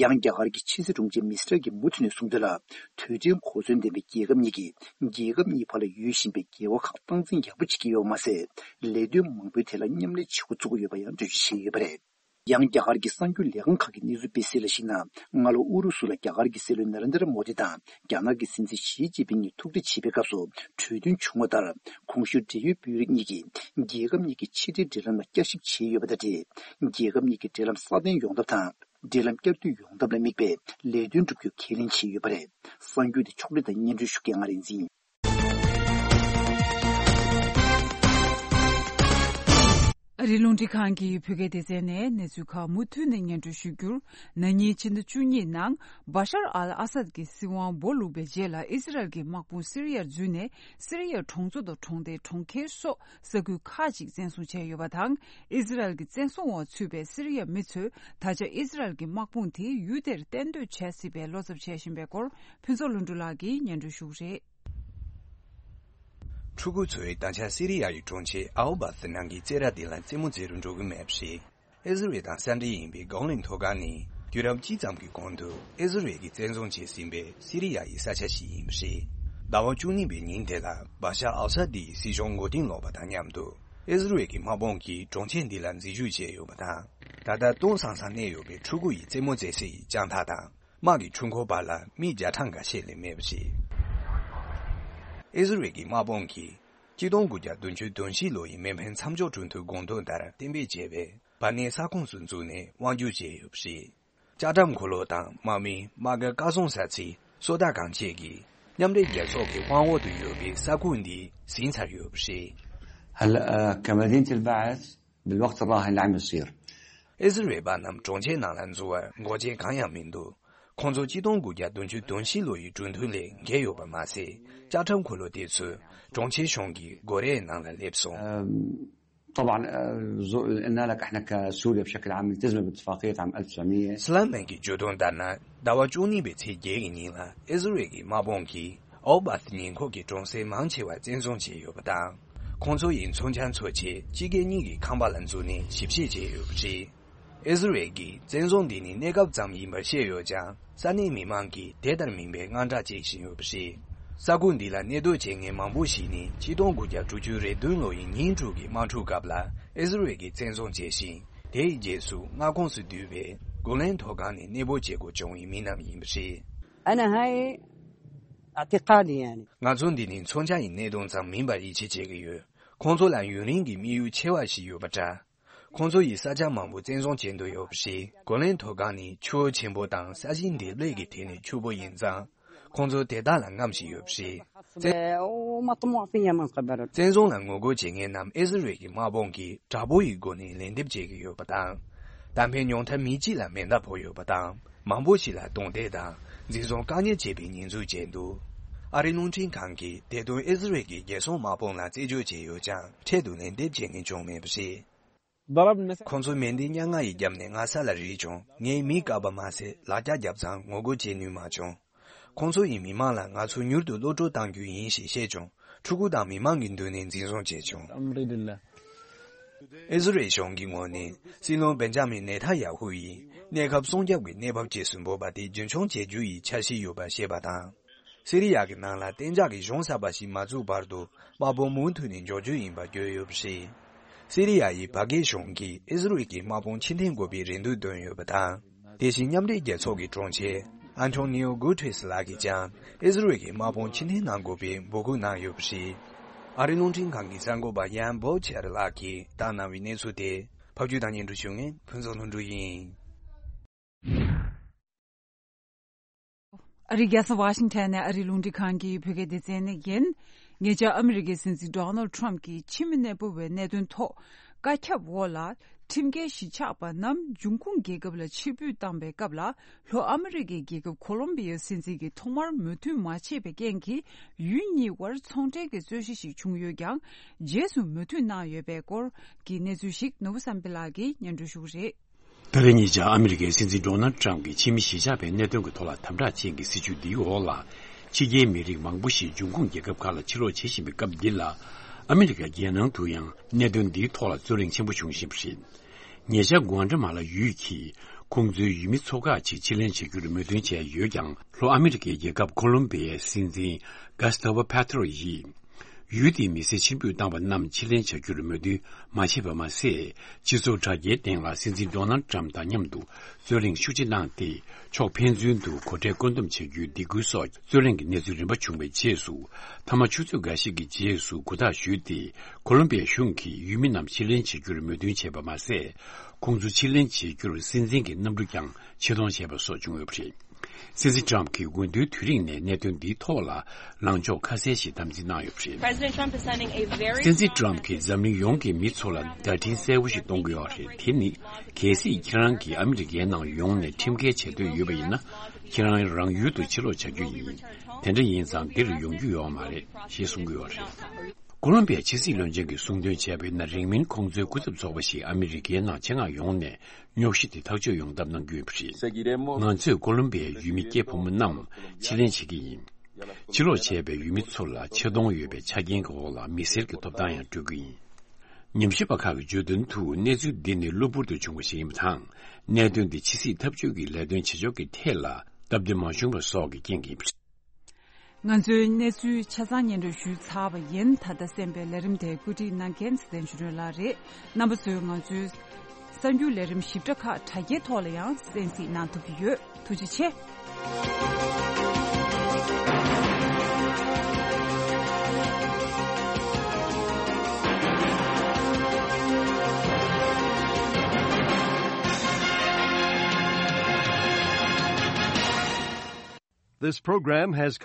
ཡང་རྒྱ་གར་གྱི་ཕྱི་སྲིད་དྲུང་ཆེ་མིས་ར་གྱིས་མུ་མཐུད་ནས་གསུངས་དོན་ལ། དུས་དྲན་གོ་མཚོན་ལྡན་པའི་རྒྱལ་ཁབ་གཉིས་ཀྱིས་རྒྱལ་ཁབ་གཉིས་བར་ལ་ཡོད་བཞིན་པའི་འགལ་བ་ཁག་སྟངས་འཛིན་ཡག་པོ་བྱེད་ཀྱི་ཡོད་པ་མ་ཟད། ལས་དོན་མང་པོའི་ཐད་ལ་མཉམ་ལས་བྱེད་འགོ་བཙུགས་ཀྱི་ཡོད་པ་ཡང་འགྲེལ་བརྗོད་བྱས་ཡོད་པ་རེད། ཡང་རྒྱ་གར་གྱི་གསར་འགྱུར་ལས་ཁང་ཁག་གི་གནས་ཚུལ་སྤེལ་གསལ་ལ་གཞིགས་ན། སྔ་ལོ་ཨུ་རུ་སུ་ལ་རྒྱ་གར་གྱི་སྲིད་བློན་ན་རེན་དྲ་མོ་དི་དང་རྒྱ་ནག་གི་སྲིད་འཛིན་ཞི་ཅིན་ཕིང་གཉིས་ཐུག་འཕྲད་བྱེད་པའི་སྐབས་སུ་གྲོས་མཐུན་བྱུང་བ་ལྟར། གོང་ཞུས་འབྲེལ་ཡོད་དཔོན་རིགས་གཉིས་ཀྱིས་རྒྱལ་ཁབ་གཉིས་ཀྱི་ཕྱི་འབྲེལ་འབྲེལ་ལམ་ལ་བསྐྱར་ཞིབ་བྱས་ཡོད་པ་དང་འབྲེལ། རྒྱལ་ཁབ་གཉིས་ཀྱི་འབྲེལ་ལམ་སྲ་བརྟན་ཡོང་ཐབས་དང་། འབྲེལ་ལམ་བསྐྱར་མཐུད་ཡོང་ཐབས་ལ་དམིགས་པའི་ལས་དོན་བསྒྲུབ་རྒྱུ་ཁས་ལེན་བྱས་ཡོད་པ་རེད། གསར་འགྱུར་དེ་ཕྱོགས་སྒྲིག་དང་སྙན་སྒྲོན་ཞུ་མཁན་ང་རིག་འཛིན་ཡིན། ཨ་རིའི་རླུང་འཕྲིན་ཁང་གི་བོད་སྐད་སྡེ་ཚན་ནས་གནས་ཚུལ་ཁག་མུ་མཐུད་ནས་སྙན་སྒྲོན་ཞུ་རྒྱུར། ན་ནིང་ཕྱི་ཟླ་བཅུ་གཉིས་ནང་། བ་ཤར་ཨལ་ཨ་སད་ཀྱི་སྲིད་དབང་སྦོ་ལུག་པའི་རྗེས་ལ་ཨི་ཟི་རལ་གྱི་དམག་དཔུང་སི་རི་ཡར་འཛུལ་ནས། སི་རི་ཡའི་གྲོང་ཚོ་དང་གྲོང་རྡལ་གྲོང་ཁྱེར་སོགས་ས་ཁུལ་ཁག་ཅིག་བཙན་བཟུང་བྱས་ཡོད་པ་དང་། ཨི་ཟི་རལ་གྱི་བཙན་བཟུང་འོག་ཚུད་པའི་སི་རི་ཡའི་མི་ཚོས་ད་ཆ་ཨི་ཟི་རལ་གྱི་དམག་དཔུང་དེ་ཡུལ་དེར་གཏན་སྡོད་བྱས་སྲིད་པའི་བློ་འཚབ་བྱེད་བཞིན་པའི་སྐོར། ཕུན་ཚོགས་ལྷུན་གྲུབ་ལགས་ཀྱིས་སྙན་སྒྲོན་ཞུ་གི་རེད། ཕྲུ་གུ་ཚོས་ད་ཆ་སི་རི་ཡ་ཡི་གྲོང་ཁྱེར་ཨའོ་བ་སི་ནང་གི་རྩེད་ར་དེ་ལ་རྩེད་མོ་རྩེ་རུ་འགྲོ་གི་མེད་པ་རེད། ཨི་ཟི་རལ་དང་ས་འབྲེལ་ཡིན་པའི་གོ་ལའི་མཐོ་སྒང་ནས་དུས་རབས་གཅིག་ཙམ་གྱི་གོང་དུ་ཨི་ཟི་རལ་གྱིས་བཙན་བཟུང་བྱས་ཟིན་པའི་སི་རི་ཡ་ཡི་ས་ཆ་ཞིག་ཡིན་པ་རེད། ཟླ་བ་བཅུ་གཉིས་པའི་ཉིན་དེ་ལ་བ་ཤར་ཨལ་ས་དིའི་སྲིད་གཞུང་མགོ་རྟིང་སློག་པ་དང་མཉམ་དུ་ཨི་ཟི་རལ་གྱི་དམག་དཔུང་གིས་གྲོང་ཁྱེར་འདི་ལ་འཛུལ་ཞུགས་བྱས་ཡོད་པ་དང་། ད་ལྟ་སྟོང་སང་སང་གནས་ཡོད་པའི་ཕྲུ་གུ་ཡི་རྩེད་མོ་རྩེ་སའི་ལྕང་ཐག་དང་། དམག་གི་འཕྲུལ་འཁོར་བར་ལ་མི་བརྒྱ་གྲངས་འགའ་ཤས་ལས་མེད་པ་རེད། ཨི་ཟི་རལ་གྱི་དམག་དཔུང་གིས་གཅིག་སྟོང་དགུ་བརྒྱ་བདུན་ཅུ་དོན་བཞི་ལོ་ཡི་མེ་འཕེན་མཚམས་འཇོག་གྲོས་མཐུན་དགོངས་དོན་ལྟར་གཏན་འབེབས་བྱས་པའི་བར་གནས་ས་ཁོངས་སུ་འཛུལ་ནས་དབང་སྒྱུར་བྱས་ཡོད་པ་རེད། ལྕགས་ཁྲབ་འཁོར་ལོ་དང་དམག་མི་དམག་སྒར་བཀག་བཟུང་ས་ཚིགས་སོ་ཏ་གང་བཅས་ཀྱིས་མཉམ་འབྲེལ་རྒྱལ་ཚོགས་ཀྱི་དབང་འོག་ཏུ་ཡོད་པའི་ས་ཁུལ་འདི་ཟིན་ཚར་ཡོད་པ་རེད། هلأ، آه، كمدينة البعث، بالوقت الراهن اللي عم يصير. ཨི་ཟི་རེལ་པ་རྣམས་གྲོང་ཁྱེར་ནང་ལ་འཛུལ་བར་འགོག་རྐྱེན་གང་ཡང་མི་འདུག་ཁོང་ཚོ་གཅིག་སྟོང་དགུ་བརྒྱ་བདུན་ཅུ་དོན་བཞི་ལོ་ཡི་གྲོས་མཐུན་ལས་འགལ་ཡོད་པ་མ་ཟད། ཅ་ཁྲིམས་འཁོར་ལོ་དེ་ཚོས་གྲོང་ཁྱེར་གཞུང་གི་སྒོ་རའི་ནང་ལ་སླེབས་སོང་། أم، طبعا، آه، زو- قلنا لك احنا كسوريا بشكل عام التزمنا باتفاقية عام ألف وتسعمية. སི་ལན་མན་གྱི་བརྗོད་དོན་ལྟར་ན། ཟླ་བ་བཅུ་གཉིས་པའི་ཚེས་བརྒྱད་ཀྱི་ཉིན་ལ་ཨི་ཟི་རེལ་གྱི་དམག་དཔུང་གིས་ཨའུ་བཱ་ཐི་ཉེ་འཁོར་གྱི་གྲོང་གསེབ་མང་ཆེ་བ་བཙན་བཟུང་བྱས་ཡོད་པ་དང་། ཁོང་ཚོ་ཡི་མཚོན་ཆ་འཚོལ་ཆེད་ཕྱི་རྒྱལ་གཉིས་ཀྱི་ཁང་པ་ལ་འཛུལ་ནས་ཞིབ་བཤེར་བྱས་ཡོད་པ་རེད། ཨི་ཟི་རེལ་གྱིས་བཙན་བཟུང་འདི་ནི་གནས་སྐབས་ཙམ་ཡིན་པར་བཤད་ཡོད་ཀྱང་། ས་གནས་མི་མང་གིས་དེ་ལྟར་མིན་པའི་དངངས་སྐྲག་བྱེད་བཞིན་ཡོད་པ་རེད། ས་ཁུལ་འདི་ལ་གནས་སྡོད་བྱེད་མཁན་མང་པོ་ཞིག་ནི་ཆིག་སྟོང་དགུ་བརྒྱ་དྲུག་ཅུ་རེ་བདུན་ལོ་ཡི་ཉིན་དྲུག་གི་དམག་འཁྲུག་སྐབས་ལ་ཨི་ཟི་རེལ་གྱིས་བཙན་བཟུང་བྱས་ཤིང་། དེའི་རྗེས་སུ་མངའ་ཁོངས་སུ་བསྡུས་པའི་གོ་ལན་མཐོ་སྒང་ནས་གནས་སྤོ་བྱེད་དགོས་བྱུང་བའི་མི་རྣམས་ཡིན་པ་རེད། أنا هاي اعتقادي يعني. ང་ཚོ་འདི་ནི་མཚོན་ཆ་ཡི་གནད་དོན་ཙམ་མིན་པར་ཡིད་ཆེས་བྱེད་ཀྱི་ཡོད། ཁོང་ཚོ་ལ་ཡུན་རིང་གི་དམིགས་ཡུལ་ཆེ་བ་ཞིག་ཡོད་པ་འདྲ། ཁོང་ཚོ་ཡིས་ས་ཆ་མང་པོ་བཙན་བཟུང་བྱེད་འདོད་ཡོད་པ་རེད། གོ་ལན་མཐོ་སྒང་ནི་ཆུ་བོ་ཆེན་པོ་དང་ས་ཞིང་འདེབས་ལས་ཀྱི་ཐད་ནས་ཕྱུག་པོ་ཡིན་ཙང་། ཁོང་ཚོ་དེ་དག་ལ་རྔམ་བཞིན་ཡོད་པ་རེད། བཙན་ومطموع فيها من قبل. བཙན་བཟུང་ལ་ངོ་རྒོལ་བྱེད་མཁན་རྣམས་ཨི་ཟི་རེལ་གྱི་དམག་དཔུང་གིས་དྲག་པོ་ཡི་སྒོ་ནས་ལན་འདེབས་བྱེད་ཀྱི་ཡོད་པ་དང་། གཏན་འཕེན་ཉུང་མཐའ་མི་གཅིག་ལ་མེ་མདའ་ཕོག་ཡོད་པ་དང་། མང་པོ་ཞིག་ལ་རྡུང་རྡེག་དང་འཛིན་བཟུང་བཀག་ཉར་བྱས་པའི་ཉེས་འཛུགས་བྱས་འདུག་ཨ་རིའི་རླུང་འཕྲིན་ཁང་གིས་དེ་དོན་ཨི་ཟི་རེལ་གྱི་རྒྱལ་སྲུང་དམག་དཔུང་ལ་རྩད་གཅོད་བྱས་ཡོད་ཀྱང་། འཕྲལ་དུ་ལན་འདེབས་བྱེད་མཁན་བྱུང་མེད་པ་རེད། ཁོང་ཚོས་མེ་མདའི་སྙན་ངག་ཡི་རྒྱབ་ནས་ང་ས་ལ་རིལ་བྱུང་། ངས་མིག་བཀག་པ་མ་ཟད་ལག་ཆ་བརྒྱབ་ཙང་ངོ་རྒོལ་བྱེད་ནུས་མ་བྱུང་། ཁོང་ཚོ་ཡིས་མི་མང་ལ་ང་ཚོ་མྱུར་དུ་གློད་བཀྲོལ་གཏང་རྒྱུ་ཡིན་ཞེས་བཤད་བྱུང་། ཕྲུ་གུ་དང་མི་མང་གི་མདུན་ནས་འཛིན་བཟུང་བྱས་བྱུང་། ཨི་ཟི་རེལ་གཞུང་གི་ངོས་ནས་སྲིད་བློན་བེན་ཇ་མིན་ནེ་ཐན་ཡ་ཧུ་ཡིས་གནས་སྐབས་སྲུང་སྐྱོབ་ཀྱི་གནས་བབ་ཅེས་སུ་འབོད་པ་དེ་རྒྱུན་འཁྱོངས་བྱེད་རྒྱུ་ཡི་འཆར་གཞི་ཡོད་པ་བཤད་པ་དང་། སི་རི་ཡ་གི་ནང་ལ་གཏན་འཇགས་ཀྱི་གཞུང་གསར་པ་ཞིག་མ་བཙུགས་བར་དུ་དམག་དཔུང་མུ་མཐུད་ནས་འཇོག་རྒྱུ་ཡིན་པ་བརྗོད་ཡོད་པ་རེད། སི་རི་ཡ་ཡི་བྷ་གྷེ་གཞུང་གིས་ཨི་ཟི་རེལ་གྱི་དམག་དཔུང་ཕྱིར་འཐེན་དགོས་པའི་རེ་འདུན་བཏོན་ཡོད་པ་དང་། དེ་བཞིན་མཉམ་འབྲེལ་རྒྱལ་ཚོགས་ཀྱི་དྲུང་ཆེ་ཨན་ཐོ་ནིའོ་གུ་ཏྲེས་ལགས་ཀྱིས་ཀྱང་ཨི་ཟི་རེལ་གྱི་དམག་དཔུང་ཕྱིར་འཐེན་གནང་དགོས་པའི་འབོད་སྐུལ་གནང་ཡོད་པ་རེད། ཨ་རིའི་རླུང་འཕྲིན་ཁང་གི་གསར་འགོད་པ་ཡན་བོ་ཆེར་ལགས་ཀྱིས་བཏང་གནང་བའི་གནས་ཚུལ་དེ་ཕབ་སྒྱུར་དང་སྙན་སྒྲོན་ཞུ་མཁན་ཕུན་ཚོགས་ལྷུན་གྲུབ་ཡིན། ཨ་རིའི་རྒྱལ་ས་ཝ་ཤིང་ཊོན་ནས་ཨ་རིའི་རླུང་འཕྲིན་ཁང་གི་བོད་སྐད་སྡེ་ཚན་ནས་ཡིན། ཉེ་ཆར་ཨ་མི་རི་ཀའི་སྲིད་འཛིན་ཌོ་ནལ་ཊམ་གྱིས་ཕྱི་མི་གནས་སྤོ་བའི་གནད་དོན་ཐོག་བཀའ་ཁྱབ་འོག་ལ་ཁྲིམས་འགལ་གཞིས་ཆགས་པ་རྣམས་འབྱུང་ཁུངས་རྒྱལ་ཁབ་ལ་ཕྱིར་འབུད་བཏང་པའི་སྐབས་ལ། ལྷོ་ཨ་མི་རི་ཀའི་རྒྱལ་ཁབ་ཁོ་ལོམ་བི་ཡའི་སྲིད་འཛིན་གྱིས་ཐོག་མར་མོས་མཐུན་མ་བྱས་པའི་རྐྱེན་གྱིས། ཡུལ་གཉིས་དབར་ཚོང་འབྲེལ་གྱི་རྩོད་གཞི་ཞིག་བྱུང་ཡོད་ཀྱང་། རྗེས་སུ་མོས་མཐུན་གནང་ཡོད་པའི་སྐོར་གྱི་གནས་ཚུལ་ཞིག་ནོར་བུ་བསམ་འཕེལ་ལགས་ཀྱིས་སྙན་སྒྲོན་ཞུ་གི་རེད། ད་རེས་ཉེ་ཆར་ཨ་མི་རི་ཀའི་སྲིད་འཛིན་ཌོ་ནལ་ཊམ་གྱིས་ཕྱི་མི་གཞིས་ཆགས་པའི་གནད་དོན་གྱི་ཐོག་ལ་དམ་དྲག་ཅན་གྱི་སྲིད་བྱུས་འདིའི་འོག་ལ། ཕྱི་རྒྱལ་མི་རིགས་མང་པོ་ཞིག་འབྱུང་ཁུངས་རྒྱལ་ཁབ་ཁག་ལ་ཕྱིར་ལོག་བྱེད་བཞིན་པའི་སྐབས་འདི་ལ། ཨ་མི་རི་ཀ་རྒྱལ་ནང་དུ་ཡང་གནད་དོན་འདིའི་ཐོག་ལ་རྩོད་གླེང་ཆེན་པོ་བྱུང་བཞིན་པ་རེད། ཉེ་ཆར་གུའན་ཏ་མ་ལ་ཡུལ་གྱིས་ཁོང་ཚོའི་ཡུལ་མི་ཚོ་ཁག་ཅིག་ཕྱིར་ལེན་བྱ་རྒྱུར་མོས་མཐུན་བྱས་ཡོད་ཀྱང་། ལྷོ་ཨ་མི་རི་ཀའི་རྒྱལ་ཁབ་ཁོ་ལོམ་བི་ཡའི་སྲིད་འཛིན་གྷ་སི་ཐ་ཝོ་ཕེ་ཏྲོ་ཡིས། ཡུལ་དེའི་མི་སེར་ཕྱིར་འབུད་བཏང་བ་རྣམས་ཕྱིར་ལེན་བྱ་རྒྱུར་མོས་མཐུན་མ་བྱས་པ་མ་ཟད། སྤྱི་ཚོགས་དྲ་རྒྱའི་སྟེང་ལ་སྲིད་འཛིན་ཌོ་ནལ་ཊམ་དང་མཉམ་དུ་རྩོད་གླེང་ཤུགས་ཆེ་གནང་སྟེ། ཕྱོགས་ཕན་ཚུན་དུ་གོ་ཁྲལ་བཀོད་འདོམས་བྱ་རྒྱུའི་སྡིགས་སྐུལ་སོགས་རྩོད་གླེང་གི་གནས་ཚུལ་རིམ་པ་བྱུང་བའི་རྗེས་སུ། མཐའ་མ་ཆུ་ཚོད་འགའ་ཞིག་གི་རྗེས་སུ་གུ་དག་ཞུས་ཏེ། ཁོ་ལོམ་བི་ཡའི་གཞུང་གིས་ཡུལ་མི་རྣམས་ཕྱིར་ལེན་བྱེད་རྒྱུར་མོས་མཐུན་བྱས་པ་མ་ཟད། ཁོང་ཚོ་ཕྱིར་ལེན་བྱེད་རྒྱུར་སྲིད་འཛིན་གྱི་གནམ་གྲུ་ཀྱང་ཆེད་གཏོང་བྱས་པ་སོགས་བྱུང་ཡོད་པ་རེད། སྲིད་འཛིན་ཊམ་གྱིས་འོས་བསྡུའི་དུས་རིང་ནས་གནད་དོན་འདིའི་ཐོག་ལ་ལངས་ཕྱོགས་ཁ་གསལ་ཞིག་དམ་འཛིན་གནང་ཡོད་པ་རེད། President Trump is sending a very སྲིད་འཛིན་ཊམ་གྱིས་འཛམ་གླིང་ཡོངས་ཀྱི་མི་ཚོ་ལ་བརྡ་འཕྲིན་གསལ་བོ་ཞིག་གཏོང་གི་ཡོད་རེད། དེ་ནི། གལ་སྲིད་ཁྱེད་རང་གིས་ཨ་མི་རི་ཀའི་ནང་ཡོང་ནས་ཁྲིམས་འགལ་བྱེད་འདོད་ཡོད་པ་ཡིན་ན། ཁྱེད་རང་རང་ཡུལ་དུ་ཕྱིར་ལོག་བྱ་རྒྱུ་ཡིན། དེ་འདྲ་ཡིན་ཙང་འདིར་ཡོང་རྒྱུ་ཡོད་མ་རེད་ཞེས་གསུང་གི་ཡོད་རེད། ཀོ་ལོམ་བི་ཡའི་ཕྱི་སྲིད་བློན་ཆེན་གྱིས་གསུངས་དོན་བྱས་པ་ཡིན་ན། རིང་མིན་ཁོང་ཚོའི་སྐུ་ཚབ་ཚོགས་པ་ཞིག་ཨ་མི་རི་ཀའི་ནང་ཆེད་མངགས་ཡོང་ནས་རྙོག་གཞི་དེ་ཐག་གཅོད་ཡོང་ཐབས་གནང་རྒྱུ་ཡིན་པ་རེད། ང་ཚོས་ཀོ་ལོམ་བི་ཡའི་ཡུལ་མི་སྐྱེས་ཕོ་མོ་རྣམས་ཕྱིར་ལེན་བྱེད་ཀྱི་ཡིན། ཕྱིར་ལོག་བྱས་པའི་ཡུལ་མི་ཚོ་ལ་ཆེ་མཐོང་ཡོད་པའི་ཆ་རྐྱེན་གྱི་འོག་ལ་མི་སེར་གྱི་ཐོབ་ཐང་ཡང་སྤྲོད་ཀྱི་ཡིན། ཉམས་ཞིབ་པ་ཁག་གིས་བརྗོད་དོན་དུ། གནས་ཚུལ་འདི་ནི་གློ་བུར་དུ་བྱུང་བ་ཞིག་ཡིན་པ་དང་། གནད་དོན་འདི་ཕྱི་སྲིད་འཐབ་ཇུས་ཀྱི་ལས་དོན་བྱེད་ཕྱོགས་ཀྱི་ཐད་ལ་སྟབས་བདེ་མ་བྱུང་བ་སོགས་ཀྱི་རྐྱེན་གྱིས་ཡིན་པ་རེད། ང་ཚོའི་གནས་ཚུལ་ཆ་ཚང་སྙན་སྒྲོན་ཞུས་ཚར་བ་ཡིན། ད་ལྟ་གསན་པའི་ལས་རིམ་དེ་བཀོད་སྒྲིག་གནང་མཁན་ཚེ་བརྟན་ཆོས་སྒྲོན་ལགས་རེད། རྣམ་པ་ཚོས་ང་ཚོའི་གསར་འགྱུར་ལས་རིམ་ཞིབ་ཕྲ་ཁག་དྲ་རྒྱའི་ཐོག་ལ་ཡང་གསན་གཟིགས་གནང་ཐུབ་ཀྱི་ཡོད། ཐུགས་རྗེ་ཆེ། This program has